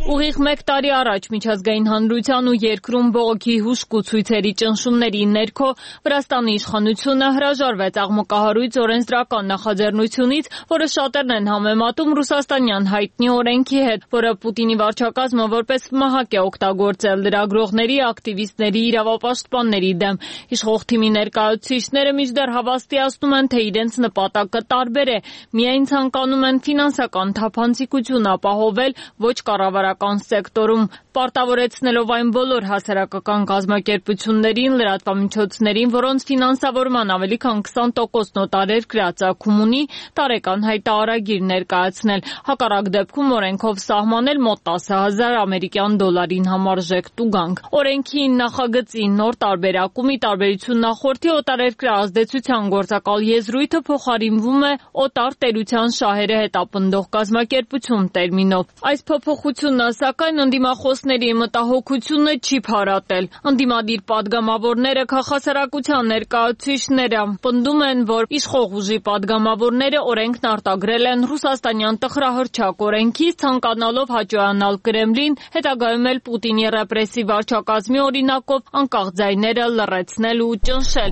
Ուղիղ 1 տարի առաջ միջազգային հանրության ու երկրում բողոքի հուշկ ու ցույցերի ճնշումների ներքո Վրաստանի իշխանությունը հրաժարվեց աղմկահարույց օրենսդրական նախաձեռնությունից, որը շատերն են համեմատում ռուսաստանյան հայտնի օրենքի հետ, որը Պուտինի վարչակազմը որպես մահակ է օգտագործել լրագրողների, ակտիվիստների, իրավապաշտպանների դեմ։ Իշխող թիմի ներկայացուցիչները մինչդեռ հավաստիացնում են, թե իրենց նպատակը տարբեր է, միայն ցանկանում են ֆինանսական թափանցիկություն ապահովել ոչ կառավարական սեկտորում։ պարտավորեցնելով այն բոլոր հասարակական կազմակերպություններին, լրատվամիջոցներին, որոնց ֆինանսավորման ավելի քան 20% նոտարերկրյա ծագում ունի, տարեկան հայտարարագիր ներկայացնել, հակառակ դեպքում օրենքով սահմանել մոտ 10,000 ամերիկյան դոլարին համարժեք տուգանք։ Օրենքի նախագծի նոր տարբերակում ի տարբերություն նախորդի օտարերկրյա ազդեցության գործակալ եզրույթը փոխարինվում է օտար տերության շահերը հետապնդող կազմակերպություն տերմինով։ Այս փոփոխությունը, սակայն, ընդդիմախոսների մտահոգությունը չի փարատել։ Ընդդիմադիր падգամավորները, քաղաքասարակության ներկայացուցիչները պնդում են, որ իշխող ուժի падգամավորները օրենքն արտագրել են ռուսաստանյան տխրահռչակ օրենքից, ցանկանալով հաճոյանալ Կրեմլին, հետագայում էլ Պուտինի ռեպրեսիվ վարչակազմի օրինակով անկախ ձայները լռեցնել ու ճնշել։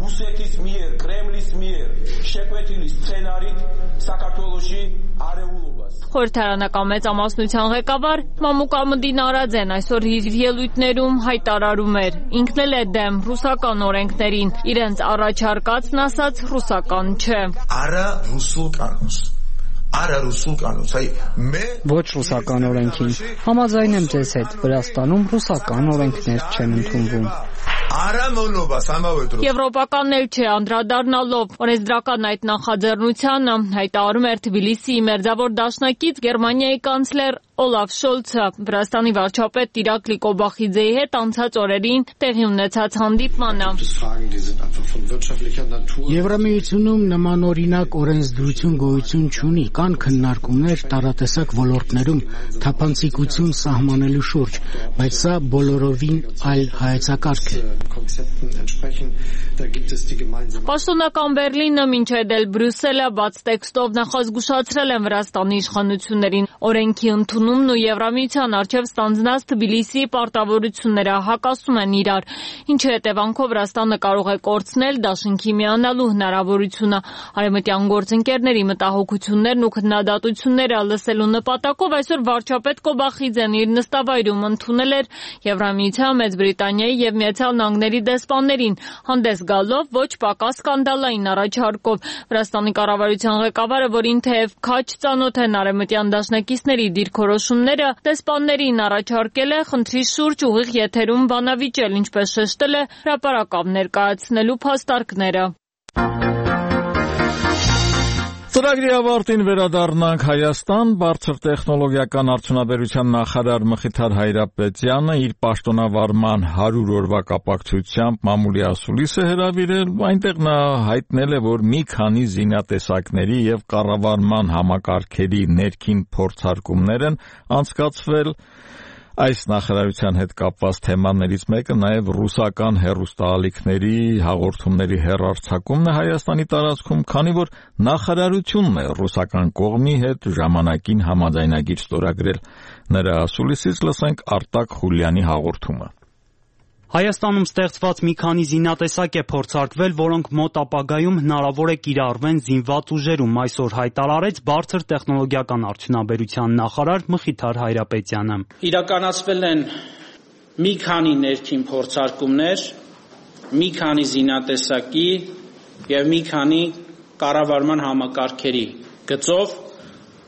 Խորհրդարանական մեծամասնության ղեկավար Մամուկ Ահմադին Արաձեն այսօր իր ելույթներում հայտարարում էր, ինքն էլ է դեմ ռուսական օրենքներին, իրենց առաջարկածն ասած ռուսական չէ։ Ոչ ռուսական օրենքին։ Համաձայն եմ ձեզ հետ, Վրաստանում ռուսական օրենքներ չեն ընդունվում։ Եվրոպական էլ չէ, անդրադառնալով օրենսդրական այդ նախաձեռնությանը հայտարարում էր Թբիլիսիի մերձավոր դաշնակից Գերմանիայի կանցլեր Օլաֆ Շոլցը Վրաստանի վարչապետ Իրակլի Կոբախիձեի հետ անցած օրերին տեղի ունեցած հանդիպմանը։ Եվրամիությունում նմանօրինակ օրենսդրություն գոյություն չունի, կան քննարկումներ տարատեսակ ոլորտներում թափանցիկություն սահմանելու շուրջ, բայց սա բոլորովին այլ հայեցակարգ է։ Պաշտոնական Բերլինը մինչև էլ Բրյուսելը բաց տեքստով նախազգուշացրել են Վրաստանի իշխանություններին օրենքի ընդունումն ու Եվրամիության առջև ստանձնած Թբիլիսիի պարտավորությունները հակասում են իրար, ինչի հետևանքով Վրաստանը կարող է կորցնել դաշինքի միանալու հնարավորությունը։ Արևմտյան գործընկերների մտահոգություններն ու քննադատությունները լսելու նպատակով այսօր վարչապետ Կոբախիձեն իր նստավայրում ընդունել էր Եվրամիության, Մեծ Բրիտանիայի եւ Միացյալ Նահանգների դեսպաններին, հանդես գալով ոչ պակաս սկանդալային առաջարկով։ Վրաստանի կառավարության ղեկավարը, որին թեև քաջ ծանոթ են արևմտյան դաշնակիցների դիրքորոշումները, դեսպաններին առաջարկել է խնդրի շուրջ ուղիղ եթերում բանավիճել, ինչպես շեշտել է հրապարակավ ներկայացնելու փաստարկները։ Ծրագրի ավարտին վերադառնանք Հայաստան։ Բարձր տեխնոլոգիական արդյունաբերության նախարար Մխիթար Հայրապետյանը իր պաշտոնավարման 100 օրվա կապակցությամբ մամուլի ասուլիս է հրավիրել, այնտեղ նա հայտնել է, որ մի քանի զինատեսակների եւ կառավարման համակարգերի ներքին փորձարկումներ են անցկացվել։ Այս նախարարության հետ կապված թեմաներից մեկը նաև ռուսական հեռուստաալիքների հաղորդումների հեռարձակումն է Հայաստանի տարածքում, քանի որ նախարարությունն է ռուսական կողմի հետ ժամանակին համաձայնագիր ստորագրել։ Նրա ասուլիսից լսենք Արտակ Խուլյանի հաղորդումը։ Հայաստանում ստեղծված մի քանի զինատեսակ է փորձարկվել, որոնք մոտ ապագայում հնարավոր է կիրառվեն զինված ուժերում, այսօր հայտարարեց բարձր տեխնոլոգիական արդյունաբերության նախարար Մխիթար Հայրապետյանը։ Իրականացվել են մի քանի ներքին փորձարկումներ, մի քանի զինատեսակի եւ մի քանի կառավարման համակարգերի գծով,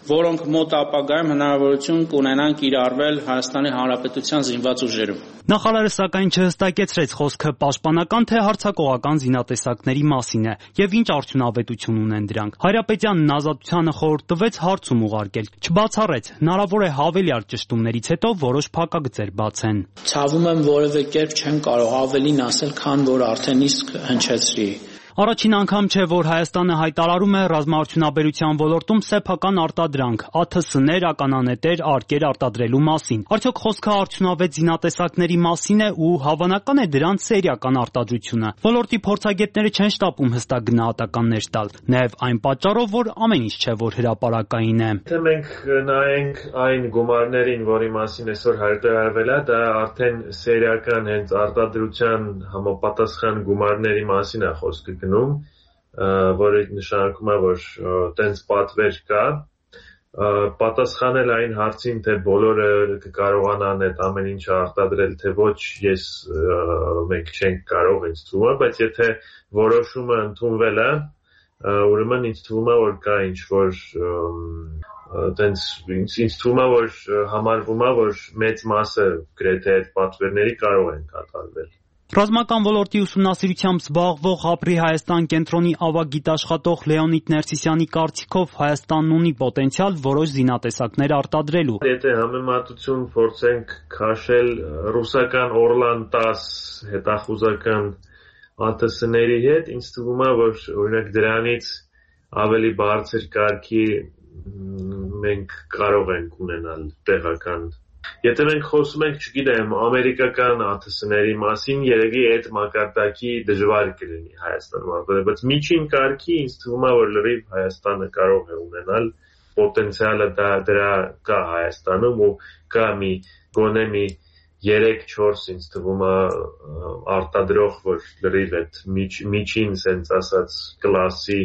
որոնք մոտ ապագայում հնարավորություն կունենան կիրառվել Հայաստանի Հանրապետության զինված ուժերում։ Նախարարը սակայն չհստակեցրեց խոսքը պաշտպանական թե հարձակողական զինատեսակների մասին է եւ ինչ արդյունավետություն ունեն դրանք։ Հայրապետյանն ազատությանը խորհուրդ տվեց հարցում ուղարկել, չբացառեց, հնարավոր է հավելյալ ճշտումներից հետո որոշ փակագծեր բացեն։ Ցավում եմ, որևէ կերպ չեմ կարող ավելին ասել, քան որ արդեն իսկ հնչեցրի։ Առաջին անգամ չէ, որ Հայաստանը հայտարարում է ռազմաարդյունաբերության ոլորտում սեփական արտադրանք, ԱԹՍ-ներ, ականանետեր, արկեր արտադրելու մասին։ Արդյոք խոսքը արդյունավետ զինատեսակների մասին է ու հավանական է դրանց սերիական արտադրությունը։ Ոլորտի փորձագետները չեն շտապում հստակ գնահատականներ տալ, նաև այն պատճառով, որ ամեն ինչ չէ, որ հրապարակային է։ Եթե մենք նայենք այն գումարներին, որի մասին այսօր հայտարարվել է, դա արդեն սերիական հենց արտադրության համապատասխան գումարների մասին է խոսքը որը նշանակում է, որ տենց պատվեր կա, պատասխանել այն հարցին, թե բոլորը կկարողանան այդ ամեն ինչը արտադրել, թե ոչ, մենք չենք կարող ինձ թվում է, բայց եթե որոշումը ընդունվել է, ուրեմն ինձ թվում է, որ կա ինչ-որ Տենց ինձ թվում է, որ համարվում է, որ մեծ մասը գրեթե այդ պատվերների կարող են կատարվել։ Ռազմական ոլորտի ուսումնասիրությամբ զբաղվող «Ապրի Հայաստան» կենտրոնի ավագ գիտաշխատող Լեոնիդ Ներսիսյանի կարծիքով Հայաստանն ունի պոտենցիալ որոշ զինատեսակներ արտադրելու։ Եթե համեմատություն փորձենք քաշել ռուսական Օրլան 10 հետախուզական ԱԹՍ-ների հետ, ինձ թվում է, որ օրինակ դրանից ավելի բարձր կարգի մենք կարող ենք ունենալ տեղական։ Եթե մենք խոսում ենք, չգիտեմ, ամերիկական ԱԹՍ-ների մասին, երևի այդ մակարդակի դժվար կլինի Հայաստանում, բայց միջին կարգի ինձ թվում է, որ լրիվ Հայաստանը կարող է ունենալ պոտենցիալը դրա կա Հայաստանում ու կա գոնե 3-4 ինձ թվում է արտադրող, որ լրիվ այդ միջին սենց ասած կլասի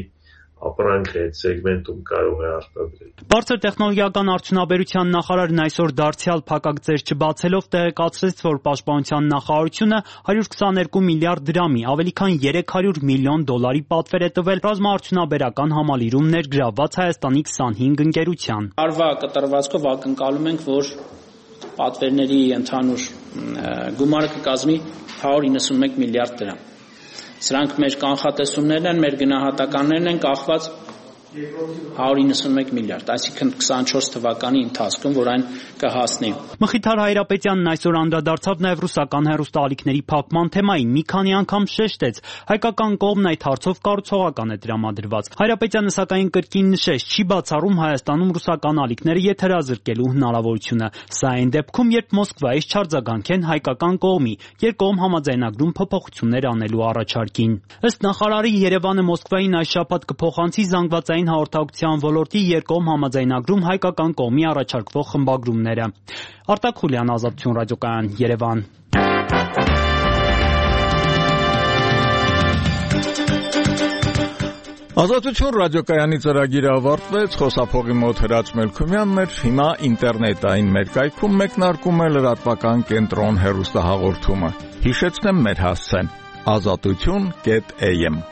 ապրանքը այդ սեգմենտում կարող է արտադրել։ Բարձր տեխնոլոգիական արդյունաբերության նախարարն այսօր դարձյալ փակագծեր չբացելով տեղեկացրեց, որ Պաշտպանության նախարարությունը 122 միլիարդ դրամի, ավելի քան 300 միլիոն դոլարի պատվեր է տվել ռազմաարդյունաբերական համալիրում ներգրավված Հայաստանի 25 ընկերության։ Արվա կտրվածքով ակնկալում ենք, որ պատվերների ընդհանուր գումարը կկազմի 191 միլիարդ դրամ։ Սրանք մեր կանխատեսումներն են, մեր գնահատականներն են կախված 191 միլիարդ, այսինքն 24 թվականի ընթացքում, որ այն կհասնի։ Մխիթար Հայրապետյանն այսօր անդրադարձավ նաև ռուսական հեռուստաալիքների փակման թեմային, մի քանի անգամ շեշտեց, հայկական կողմն այդ հարցով կառուցողական է տրամադրված։ Հայրապետյանը սակայն կրկին նշեց, չի բացառում Հայաստանում ռուսական ալիքները եթերազրկելու հնարավորությունը։ Սա այն դեպքում, երբ Մոսկվայից չարձագանքեն հայկական կողմի, երկկողմ համաձայնագրում փոփոխություններ անելու առաջարկին։ Ըստ նախարարի, Երևանը Մոսկվային այս շաբաթ կփոխանցի զանգվածային հաղորդակցության ոլորտի երկկողմ համաձայնագրում հայկական կողմի առաջարկվող խմբագրումները։ Արտակ Խուլյան, Ազատություն ռադիոկայան, Երևան։ Ազատություն ռադիոկայանի ծրագիրը ավարտվեց, խոսափողի մոտ Հրաչ Մելքումյանն էր, հիմա ինտերնետային մեր կայքում մեկնարկում է լրատվական կենտրոն հեռուստահաղորդումը։ Հիշեցնեմ մեր հասցեն՝ azatutun.am